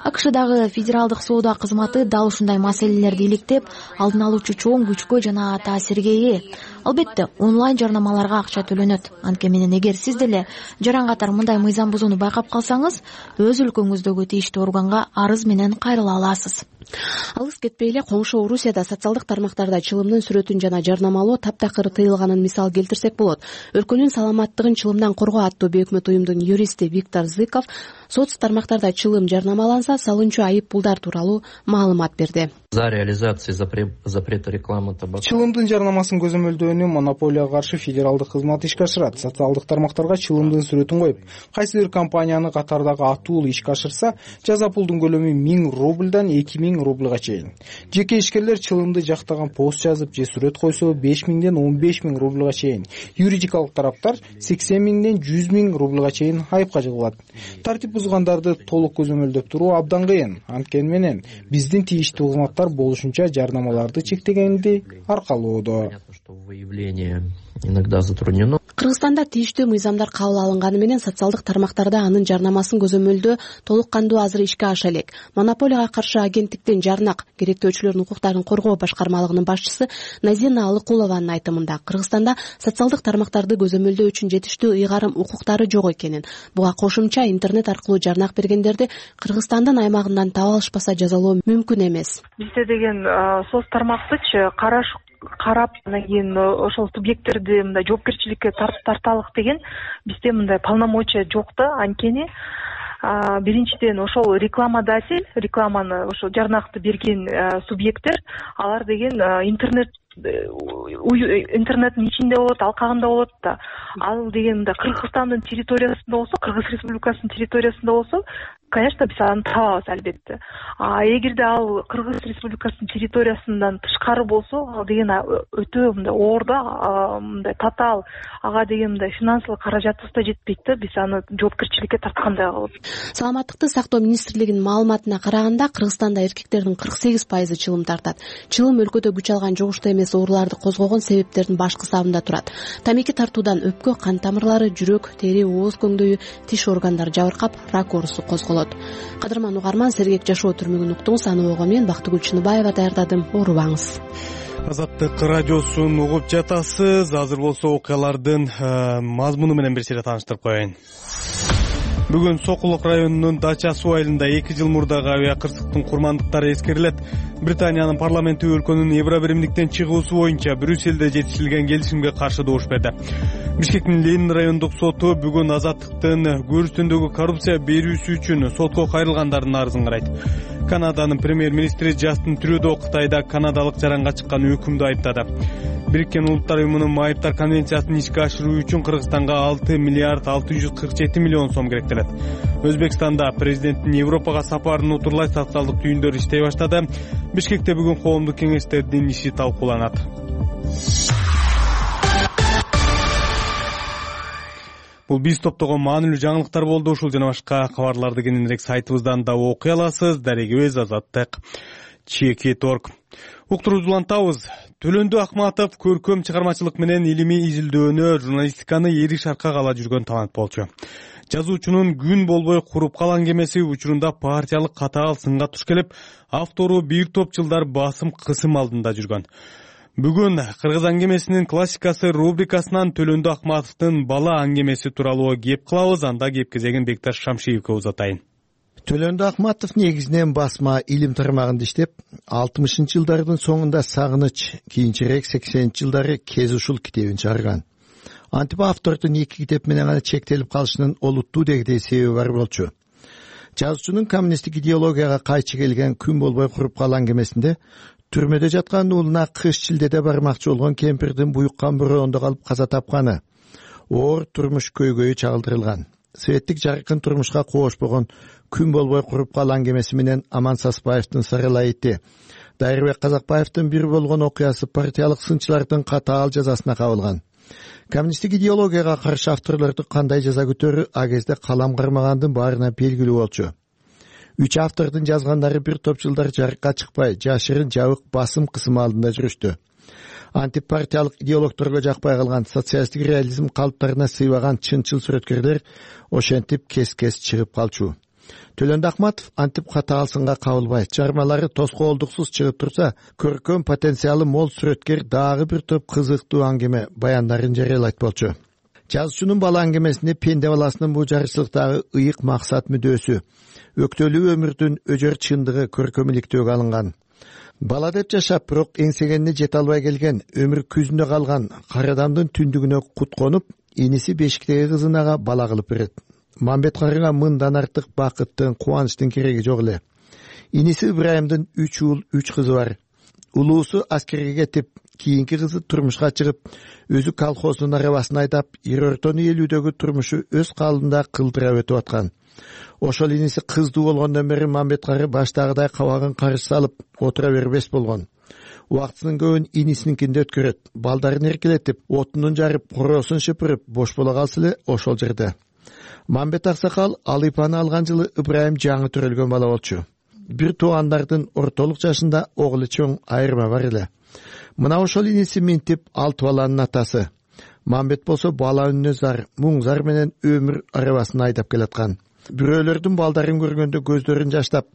АКШдагы федералдык соода кызматы дал ушундай маселелерди иликтеп, алдын алуучу чоң күчкө жана таасирге ээ. Албетте, онлайн жарнамаларга акча төлөнөт. Анткени менен эгер сиз деле жаран катар мындай мыйзам бузууну байкап калсаңыз, өз өлкөңүздөгү тийиштүү органга арыз менен кайрыла аласыз. Алыс кетпей эле коңшу Орусияда социалдык тармактарда чылымдын сүрөтүн жана жарнамалоо таптакыр тыйылганын мисал келтирсек болот. Өлкөнүн саламаттыгын чылымдан коргоо аттуу бейөкмөт уюмдун юристи Виктор Зыков соц тармактарда чылым жарнамаланса салынчу айып пулдар тууралуу маалымат берди. За реализацией запрета рекламы табака. Чылымдын жарнамасын көзөмөлдөөнү монополияга каршы федералдык кызмат ишке ашырат. Социалдык тармактарга чылымдын сүрөтүн коюп, кайсы бир компаниянын катардагы атуулу ишке ашырса, жаза пулдун көлөмү 1000 рубльдан 2000 рубльга чейин. Жеке ишкерлер чылымды жактаган пост жазып же сүрөт койсо 5000ден 15000 рубльга чейин. Юридикалык тараптар 80000ден 100.000 рубльга чейин айыпка жыгылат. Тартип бузгандарды толук көзөмөлдөп туруу абдан кыйын. Анткени менен биздин тийиштүү кызматтар болушунча жарнамаларды чектегенди аркалоодо. иногда затруднено. Кыргызстанда тийиштүү мыйзамдар кабыл алынганы менен социалдык тармактарда анын жарнамасын көзөмөлдөө толук кандуу азыр ишке аша элек. Монополияга каршы агенттиктин жарнак керектөөчүлөрдүн укуктарын коргоо башкармалыгынын башчысы Назина Алыкулованын айтымында Кыргызстанда социалдык тармактарды көзөмөлдөө үчүн жетиштүү ыйгарым укуктары жок экенин, буга кошумча интернет аркылуу жарнак бергендерди Кыргызстандын аймагынан таап алышпаса жазалоо мүмкүн эмес. Бизде деген соц тармактычы карап анан кийин ошол субъекттерди мындай жоопкерчиликке тарталык деген бизде мындай полномочия жок да. Анткени биринчиден ошол рекламодатель, рекламаны ошол жарнакты берген субъекттер, алар деген интернеттин ичинде болот, алкагында болот да. Ал деген мындай Кыргызстандын территориясында болсо, Кыргыз Республикасынын территориясында болсо, конечно, биз аны табабыз албетте. Эгерде ал Кыргыз Республикасынын территориясынан тышкары болсо, ал деген өтө мындай оор да, мындай татаал, ага деген мындай финансылык каражатыбыз да жетпейт да, биз аны жоопкерчиликке тарткандай болот. Саламаттыкты сактоо министрлигинин маалыматына караганда, Кыргызстанда эркектердин 48% чылым тартат. Чылым өлкөдө күч алган жугуштуу эмес ооруларды козгогон себептердин башкы сабында турат. Тамеки тартуудан өпкө, кан тамырлары, жүрөк, тери, ооз көңдөйү, тиш органдары жабыркап, рак оорусу козголот. Кадырман угарман, сергек жашоо түрмөгүн уктуңуз. Аны ого мен Бактыгүл Чыныбаева даярдадым. Оорубаңыз. Азаттык радиосун угуп жатасыз. Азыр болсо окуялардын мазмуну менен бир сыйра тааныштырып коеюн. Бүгүн Сокулук районунун Дача суу айылында 2 жыл мурдагы авиа кырсыктын курмандыктары эскерилет. Британиянын парламенти өлкөнүн Евро биримдиктен чыгуусу боюнча Брюсселде жетишилген келишимге каршы добуш берди. Бишкектин Ленин райондук соту бүгүн Азаттыктын көрүстөндөгү коррупция берүүсү үчүн сотко кайрылгандардын арызын карайт. Канаданын премьер-министри Джастин Трюдо Кытайда канадалык жаранга чыккан өкүмдү айыптады. Бириккен Улуттар уюмунун майыптар конвенциясын ишке ашыруу үчүн Кыргызстанга 6 миллиард 647 миллион сом керектелет. Өзбекстанда президенттин Европага сапарын утурлай социалдык түйүндөр иштей баштады. Бишкекте бүгүн коомдук кеңештердин иши талкууланат. Бул биз топтогон маанилүү жаңылыктар болду. Ушул жана башка кабарларды кененирээк сайтыбыздан да окуй аласыз. Дарегибиз azattik.org. Уктурууну улантабыз. Төлөндү Акматов көркөм чыгармачылык менен илимий изилдөөнө, журналистиканы эри шаркка ала жүргөн талант болчу. Жазуучунун күн болбой куруп калган кемеси учурунда партиялык катаал сынга туш келип, автору бир топ жылдар басым кысым алдында жүргөн. Бүгүн Кыргыз аңгемесинин классикасы рубрикасынан Төлөндү Акматовдун бала аңгемеси тууралуу кеп кылабыз. Анда кеп кезегин Бекташ Шамшиевке узатайын. Төлөндү Акматов негизинен басма илим тармагында иштеп, 60-жылдардын соңунда Сагыныч, кийинчерээк 80-жылдары Кез ушул китебин чыгарган. Антип автордун 2 китеп менен гана чектелип калышынын олуттуу дегдей себеби бар болчу. Жазуучунун коммунисттик идеологияга кайчы келген күн болбой куруп калган кемесинде түрмөдө жаткан уулуна кыш шилдеде бармакчы болгон кемпирдин буюккан бороондо калып каза тапканы, оор турмуш көйгөйү чагылдырылган. Светтик жаркын турмушка коошпогон күн болбой куруп калган кемеси менен Аман Саспаевдин Сарылайыты, Дайырбек Казакбаевдин бир болгон окуясы партиялык сынчылардын катаал жазасына кабылган. Коммунисттик идеологияга каршы авторлорду кандай жаза күтөрү а кезде калам кармагандын баарына белгилүү болчу. 3 автордун жазгандары бир топ жылдар жарыкка чыкпай, жашырын жабык басым кысым алдында жүрүштү. Антипартиялык идеологторго жакпай калган социалисттик реализм калыптарына сыйбаган чынчыл сүрөткерлер ошентип кес-кес чыгып калчу. Төлөндү Акматов антип катаал сынга кабылбай, чыгармалары тоскоолдуксуз чыгып турса, көркөм потенциалы мол сүрөткер дагы бир топ кызыктуу аңгеме баяндарын жарыялайт болчу. Жазуучунун бала аңгемесинде пенде баласынын бул жарычылыктагы ыйык максат мүдөөсү, өктөлүү өмүрдүн өжөр чындыгы көркөмүлүктөөгө алынган. Бала деп жашап, бирок эңсегенине жете албай келген, өмүр күзүндө калган Карадамдын түндүгүнө кут конуп, иниси бешиктеги кызынага бала кылып берет. Мамбет карыга мындан артык бакыттын, кубанычтын кереги жок эле. Иниси Ибраимдин 3 уул, 3 кызы бар. Улуусу аскерге кетип, кийинки кызы турмушка чыгып, өзү колхоздун арабасын айдап, Ирортону элүүдөгү турмушу өз калыбында кылдыра өтүп аткан. Ошол иниси кыздуу болгондон бери Мамбет кары баштагыдай кабагын карыш салып отура бербес болгон. Убактынын көбүн инисиникинде өткөрөт. Балдарын эркелетип, отунун жарып, короосун шыпырып, бош боло калса эле ошол жерде. Мамбет аксакал Алыйпаны алган жылы Ибраим жаңы төрөлгөн бала болчу. Бир туугандардын ортолук жашында оглу чоң айырма бар эле. Мына ошол иниси Минтип 6 баланын атасы. Мамбет болсо бала үнүнө зар, муң зар менен өмүр арабасын айдап келаткан. Бирөөлөрдүн балдарын көргөндө көздөрүн жаштап,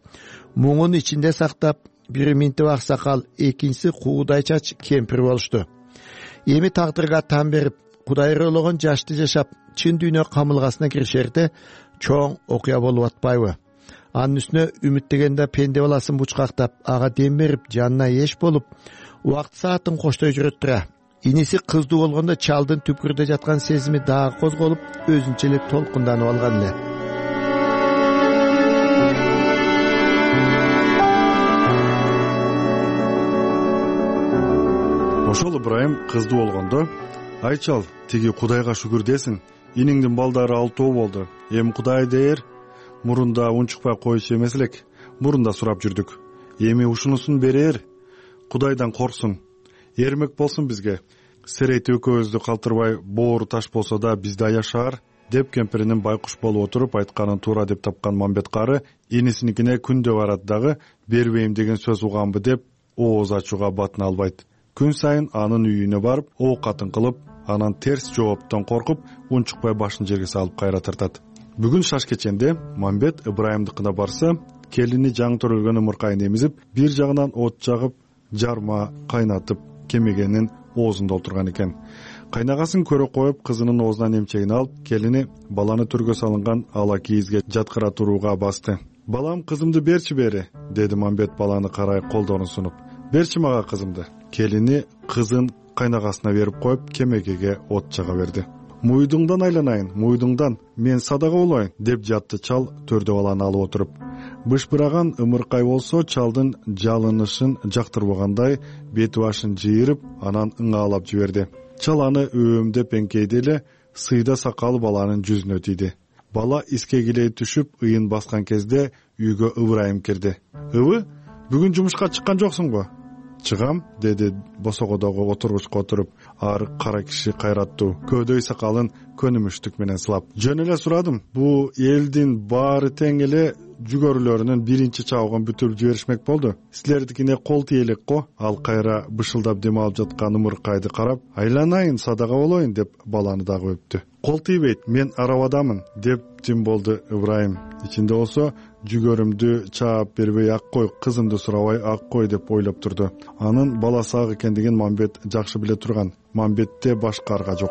муңун ичинде сактап, бири Минтип аксакал, экинчиси Куудай чач кемпир болушту. Эми тагдырга тан берип, Кудай ыйрологон жашты жашап, чын дүйнө камылгасына киришерде чоң окуя болуп атпайбы? Анын үстүнө үмүттөгөндө пенде баласын бучкактап, ага дем берип, жанына эш болуп, убакыт саатын коштой жүрөт тура. Иниси кыздуу болгондо чалдын түпкүрдө жаткан сезими дагы козголуп, өзүнчө эле толкунданып алган эле. Ошол Ыбрайым кыздуу болгондо, ай чал, тиги Кудайга шүгүр десин, иниңдин балдары 6 болду. Эми Кудай дээр, мурунда унчукпай коюшу эмес элек, мурунда сурап жүрдүк. Эми ушунусун берер, Кудайдан корксун, эрмек болсун бизге. Серейти экөөбүздү калтырбай, боору таш болсо да бизде аяшаар, деп кемпиринин байкуш болуп отуруп айтканын туура деп тапкан Мамбет кары инисиникине күндө барат дагы, бербейм деген сөз уганбы деп ооз ачууга батына албайт. Күн сайын анын үйүнө барып, оокатын кылып, анан терс жооптон коркуп, унчукпай башын жерге салып кайра тартат. Бүгүн шаш кеченде Мамбет Ыбрайымдыкына барса, келини жаңы төрөлгөн ымыркайын эмизип, бир жагынан от жагып, жарма кайнатып кемегенин оозунда отурган экен. Кайнагасын көрө коюп, кызынын оозунан эмчегин алып, келини баланы төргө салынган ала кийизге жаткыра турууга басты. Балам, кызымды берчи бери, деди Мамбет баланы карай колдорун сунуп. Берчи мага кызымды. Келини кызын кайнагасына берип коюп, кемегеге от жага берди. Муйдуңдан айланайын, муйдуңдан, мен садага болоюн, деп жатты чал төрдө баланы алып отуруп. Бышбыраган ымыркай болсо чалдын жалынышын жактырбагандай бети башын жыйырып, анан ыңаалап жиберди. Чал аны өөмдөп эңкейди эле, сыйда сакалы баланын жүзүнө тийди. Бала искегилей түшүп, ыйын баскан кезде үйгө Ыбрайым кирди. Ыбы, бүгүн жумушка чыккан жоксуңбу? Чыгам, деди босогодогу отургучка отуруп, ар кара киши кайраттуу, көөдөй сакалын көнүмүштүк менен сылап. Жөн эле сурадым, бул элдин баары тең эле жүгөрүлөрүнүн биринчи чабыгын бүтүрүп жиберишмек болду. Силердикине кол тийелек го. Ал кайра бышылдап дем алып жаткан ымыркайды карап, айланайын, садага болоюн, деп баланы дагы өптү. Кол тийбейт, мен арабадамын, деп тим болду Ыбрайым. Ичинде болсо, жүгөрүмдү чаап бербей ак кой, кызымды сурабай ак кой деп ойлоп турду. Анын баласы ак экендигин Мамбет жакшы биле турган. Мамбетте башка арга жок.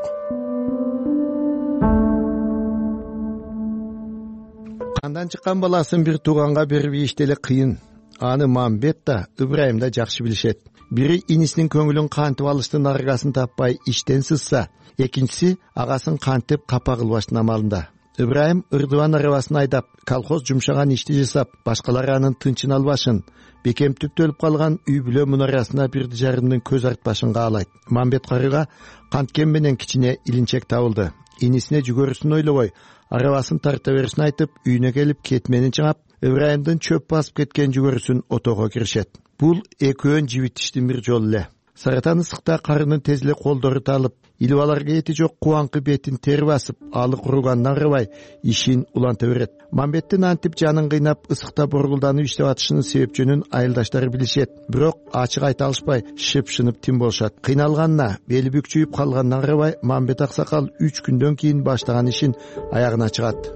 Кандан чыккан баласын бир тууганга берип иштеле кыйын. Аны Мамбет да, Ыбрайым да жакшы билишет. Бири инисинин көңүлүн кантип алыштын аргасын таппай иштен сызса, экинчиси агасын кантип капа кылбаштын амалында. Ыбрайым ырдыбан арабасын айдап, колхоз жумшаган ишти жасап, башкалар анын тынчын албашын, бекем түптөлүп калган үй бүлө мунарасына бирди жарымдын көз артпашын каалайт. Мамбет карыга канткен менен кичине илинчек табылды. Инисине жүгөрүсүн ойлобой, арабасын тарта беришин айтып, үйүнө келип кетменин чыгап, Ыбрайымдын чөп басып кеткен жүгөрүсүн отого киришет. Бул экөөн жибитиштин бир жолу эле. Саратан ысыкта карынын тез эле колдору талып, илбаларга эти жок кубаңкы бетин тер басып, алы куругандан арыбай ишин уланта берет. Мамбеттин антип жанын кыйнап ысыкта боргулданып иштеп атышынын себепчөнүн айылдаштары билишет. Бирок ачык айта алышпай, шыпшынып тим болушат. Кыйналганына, бели бүкчүйүп калгандан арыбай, Мамбет аксакал 3 күндөн кийин баштаган ишин аягына чыгат.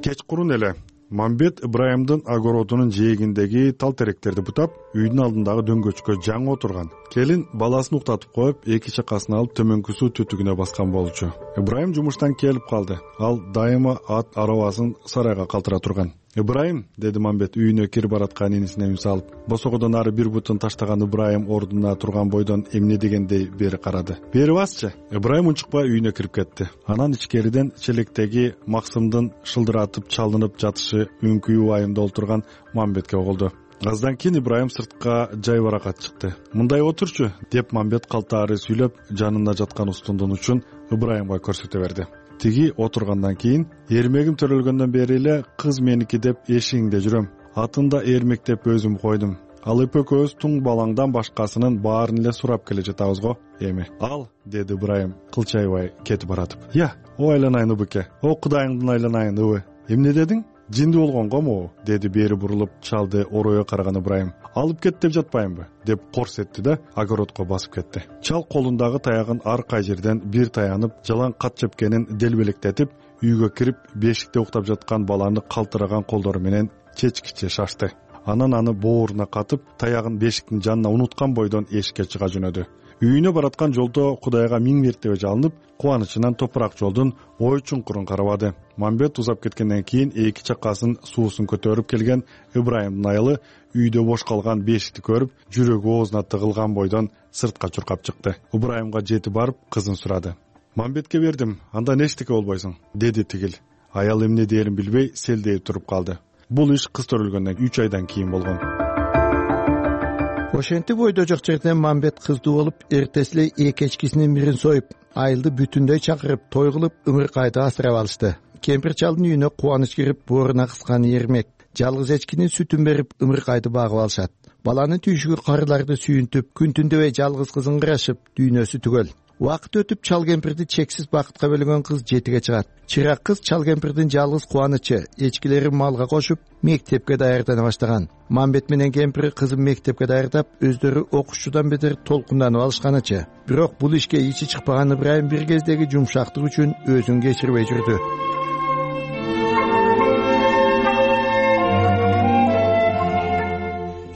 Кечкурун эле Мамбет Ыбрайымдын огородунун жээгиндеги тал теректерди бутап, үйдүн алдындагы дөңгөчкө жаңы отурган. Келин баласын уктатып коюп, эки чакасын алып төмөнкү суу түтүгүнө баскан болчу. Ыбрайым жумуштан келип калды. Ал дайыма ат арабасын сарайга калтыра турган. Ыбрайым, деди Мамбет үйүнө кирип бараткан инисине үн салып. Босогодон ары бир бутун таштаган Ыбрайым ордуна турган бойдон эмне дегендей бери карады. Бери басчы. Ыбрайым унчукпай үйүнө кирип кетти. Анан ичкериден челектеги Максымдын шылдыратып чалынып жатышы үңкүү убайымда отурган Мамбетке оголду. Аздан кийин Ыбрайым сыртка жай баракат чыкты. Мындай отурчу, деп Мамбет калтаары сүйлөп, жанында жаткан устундун учун Ыбрайымга көрсөтө берди. Тиги отургандан кийин, эрмегим төрөлгөндөн бери эле кыз меники деп эшигиңде жүрөм. Атында эрмектеп өзүм койдум. Алып экөөбүз туң балаңдан башкасынын баарын эле сурап келе жатабыз го эми. Ал, деди Ыбрайым кылчайбай кетип баратып. Я, о айланайын Ыбыке, о Кудайыңдын айланайын Ыбы. Эмне дедиң? жинди болгонгому, деди бери бурулуп чалды оройго караган Ыбрайым. Алып кет деп жатпаймынбы деп корс этти да огородко басып кетти. Чал колундагы таягын ар кай жерден бир таянып, жалаң кат чепкенин делбелектетип, үйгө кирип, бешикте уктап жаткан баланы калтыраган колдору менен чечкиче шашты. Анан аны бооруна катып, таягын бешиктин жанына унуткан бойдон эшикке чыга жөнөдү. Үйүнө бараткан жолдо Кудайга миң мертебе жалынып, кубанычынан топурак жолдун ой чуңкурун карабады. Мамбет узап кеткенден кийин эки чакасын суусун көтөрүп келген Ыбрайымдын айылы үйдө бош калган бешикти көрүп, жүрөгү оозуна тыгылган бойдон сыртка чуркап чыкты. Ыбрайымга жетип барып кызын сурады. Мамбетке бердим, андан эчтеке болбойсуң, деди тигил. Аял эмне дээрин билбей селдейип туруп калды. Бул иш кыз төрөлгөндөн 3 айдан кийин болгон. Ошентип ойдо жок жерден Мамбет кыздуу болуп, эртеси эле эки эчкисинин бирин союп, айылды бүтүндөй чакырып, той кылып, ымыркайды асырап алышты. Кемпир чалдын үйүнө кубаныч кирип, бооруна кыскан Эрмек жалгыз эчкинин сүтүн берип, ымыркайды багып алышат. Баланын түйшүгү карыларды сүйүнтүп, күн түндөбөй жалгыз кызын ырашып, дүйнөсү түгөл. Убакыт өтүп, чал кемпирди чексиз бакытка бөлөгөн кыз жетиге чыгат. Чырак кыз чал кемпирдин жалгыз кубанычы, эчкилерин малга кошуп, мектепке даярдана баштаган. Мамбет менен кемпири кызын мектепке даярдап, өздөрү окуучудан бетер толкунданып алышканычы. Бирок бул ишке ичи чыкпаган Ыбрайым бир кездеги жумшактык үчүн өзүн кечирбей жүрдү.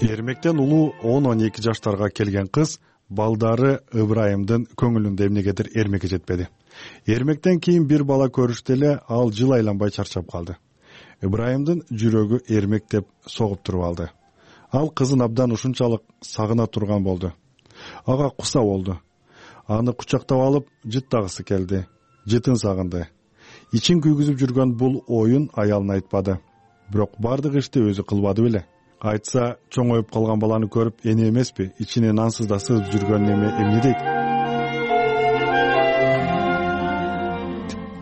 Эрмектен улуу 10-12 жаштарга келген кыз балдары Ыбрайымдын көңүлүндө эмнегедир Эрмекке жетпеди. Эрмектен кийин бир бала көрүштө эле ал жыл айланбай чарчап калды. Ыбрайымдын жүрөгү Эрмек деп согуп туруп алды. Ал кызын абдан ушунчалык сагына турган болду. Ага куса болду. Аны кучактап алып жыттагысы келди. Жытын сагынды. Ичин күйгүзүп жүргөн бул оюн аялына айтпады. Бирок бардык ишти өзү кылбады беле. Айтса, чоңоюп калган баланы көрүп, эне эмеспи, ичинен ансыз да сызып жүргөн эмне дейт?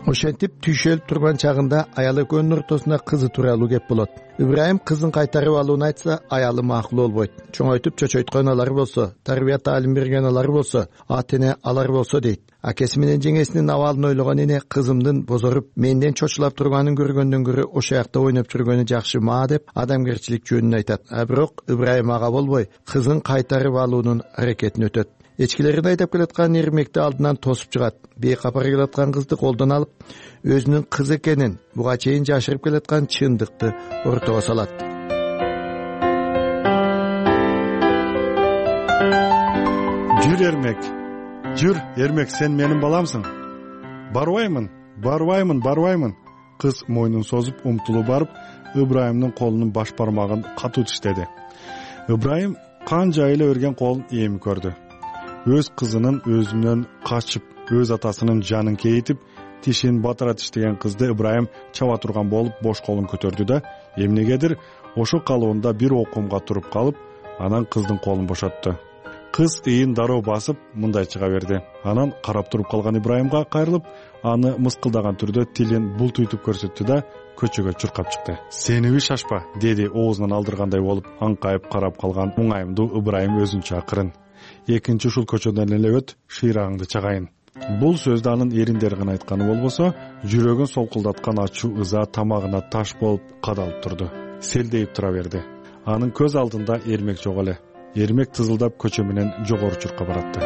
Ошентип түйшөлүп турган чагында аял экөөнүн ортосуна кызы тууралуу кеп болот. Ыбрайым кызын кайтарып алууну айтса, аялы макул болбойт. Чоңойтуп чочойткон алар болсо, тарбия таалим берген алар болсо, ата эне алар болсо дейт. Акеси менен жеңесинин абалын ойлогон эне кызымдын бозоруп, менден чочулап турганын көргөндөн көрө ошо жакта ойноп жүргөнү жакшы ма деп адамгерчилик жөнүн айтат. Бирок Ыбрайым ага болбой, кызын кайтарып алуунун аракетин өтөт. Эчкилерин айдап келаткан Эрмекти алдынан тосуп чыгат. Бейкапар келаткан кызды колдон алып, өзүнүн кызы экенин, буга чейин жашырып келаткан чындыкты ортого салат. Жүр Эрмек. Жүр, Эрмек, сен менин баламсың. Барбаймын. Кыз мойнун созуп, умтулуп барып, Ыбрайымдын колунун баш бармагын катуу тиштеди. Ыбрайым канча эле берген колун эми көрдү. Өз кызынын өзүнөн качып, өз атасынын жанын кейитип, тишин батыра тиштеген кызды Ыбрайым чаба турган болуп бош колун көтөрдү да, эмнегедир ошо калыбында бир окумга туруп калып, анан кыздын колун бошотту. Кыз ыйын дароо басып, мындай чыга берди. Анан карап туруп калган Ибрайымга кайрылып, аны мыскылдаган түрдө тилин бултуйтуп көрсөттү да, көчөгө чуркап чыкты. Сениби шашпа, деди оозунан алдыргандай болуп, аңкайып карап калган уңайымдуу Ыбрайым өзүнчө акырын. Экинчи ушул көчөдөн эле өт, шыйрагыңды чагайын. Бул сөздү анын эриндери гана айтканы болбосо, жүрөгүн солкулдаткан ачуу ыза тамагына таш болуп кадалып турду. Селдейип тура берди. Анын көз алдында Эрмек жок эле. Эрмек тызылдап көчө менен жогору чуркап баратты.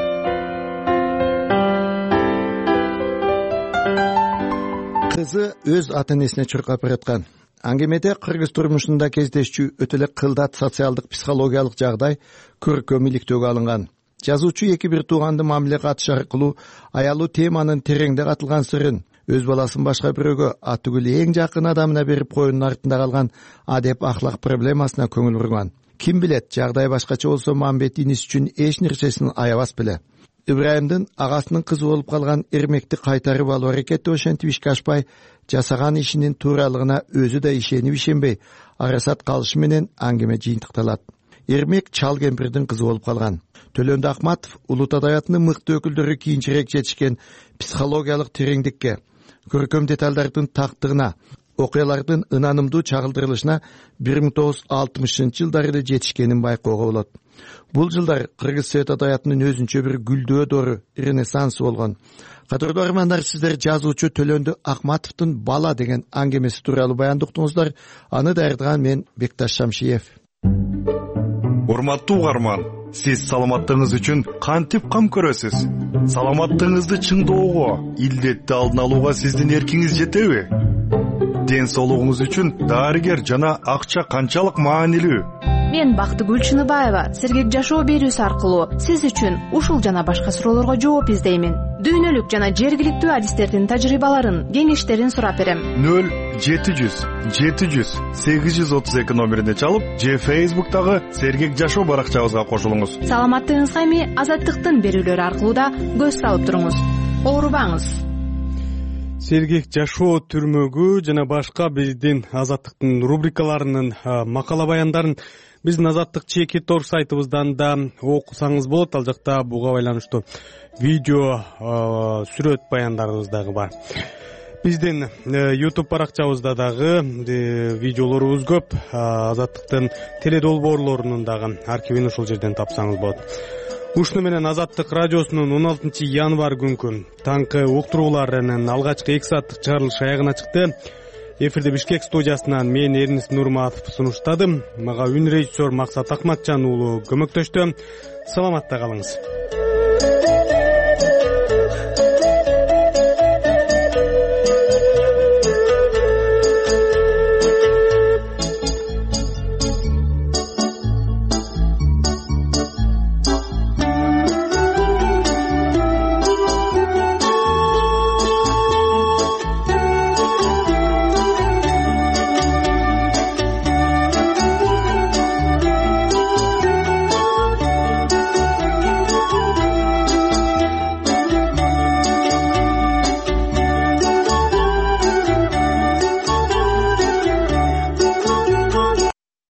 Кызы өз ата энесине чуркап бараткан. Аңгемеде кыргыз турмушунда кездешчү өтө эле кылдат социалдык психологиялык жагдай көркөм иликтөөгө алынган. Жазуучу эки бир тууганды мамиле катыш аркылуу аялуу теманын тереңде катылган сырын, өз баласын башка бирөөгө, атүгүл эң жакын адамына берип коюунун артында калган адеп ахлак проблемасына көңүл бурган. Ким билет, жагдай башкача болсо Мамбет иниси үчүн эч нерсесин аябас беле. Ибрайымдын агасынын кызы болуп калган Эрмекти кайтарып алуу аракети ошентип ишке ашпай, жасаган ишинин тууралыгына өзү да ишенип ишенбей, арасат калышы менен аңгеме жыйынтыкталат. Эрмек чал кемпирдин кызы болуп калган. Төлөндү Акматов улут адабиятынын мыкты өкүлдөрү кийинчерээк жетишкен психологиялык тереңдикке, көркөм деталдардын тактыгына, окуялардын ынанымдуу чагылдырылышына 1960-жылдары эле жетишкенин байкоого болот. Бул жылдар кыргыз совет адабиятынын өзүнчө бир гүлдөө ренессансы болгон. Кадырлуу армандар, сиздер жазуучу Төлөндү Акматовдун «Бала» деген аңгемеси тууралуу баяндыктыңыздар. Аны даярдаган мен Бекташ Шамшиев. Урматтуу угарман, сиз саламаттыгыңыз үчүн кантип кам көрөсүз? Саламаттыгыңызды чыңдоого, илдетти алдын алууга сиздин эркиңиз жетеби? Ден соолугуңуз үчүн дарыгер жана акча канчалык маанилүү? Мен Бактыгүл Чыныбаева сергек жашоо берүүсү аркылуу сиз үчүн ушул жана башка суроолорго жооп издеймин. Дүйнөлүк жана жергиликтүү адистердин тажрыйбаларын, кеңештерин сурап берем. 0-700-832 номерине чалып, же Facebook'тагы сергек жашоо баракчабызга кошулуңуз. Саламаттыгыңызга эми Азаттыктын берүүлөрү аркылуу да көз салып туруңуз. Оорубаңыз. Сергек жашоо түрмөгү жана башка биздин Азаттыктын рубрикаларынын макала баяндарын биздин Азаттык /Тор сайтыбыздан да окусаңыз болот. Ал жакта буга байланыштуу видео, сүрөт баяндарыбыз дагы бар. Биздин YouTube баракчабызда дагы видеолорубуз көп. Азаттыктын теледолбоорлорунун дагы архивин ушул жерден тапсаңыз болот. Ушуну менен Азаттык радиосунун 16 январь күнкү таңкы уктурууларынын алгачкы 2 сааттык чыгарылышы аягына чыкты. Эфирде Бишкек студиясынан мен Эрнис Нурматов сунуштадым. Мага үн режиссер Максат Акматжан уулу көмөктөштү. Саламатта калыңыз.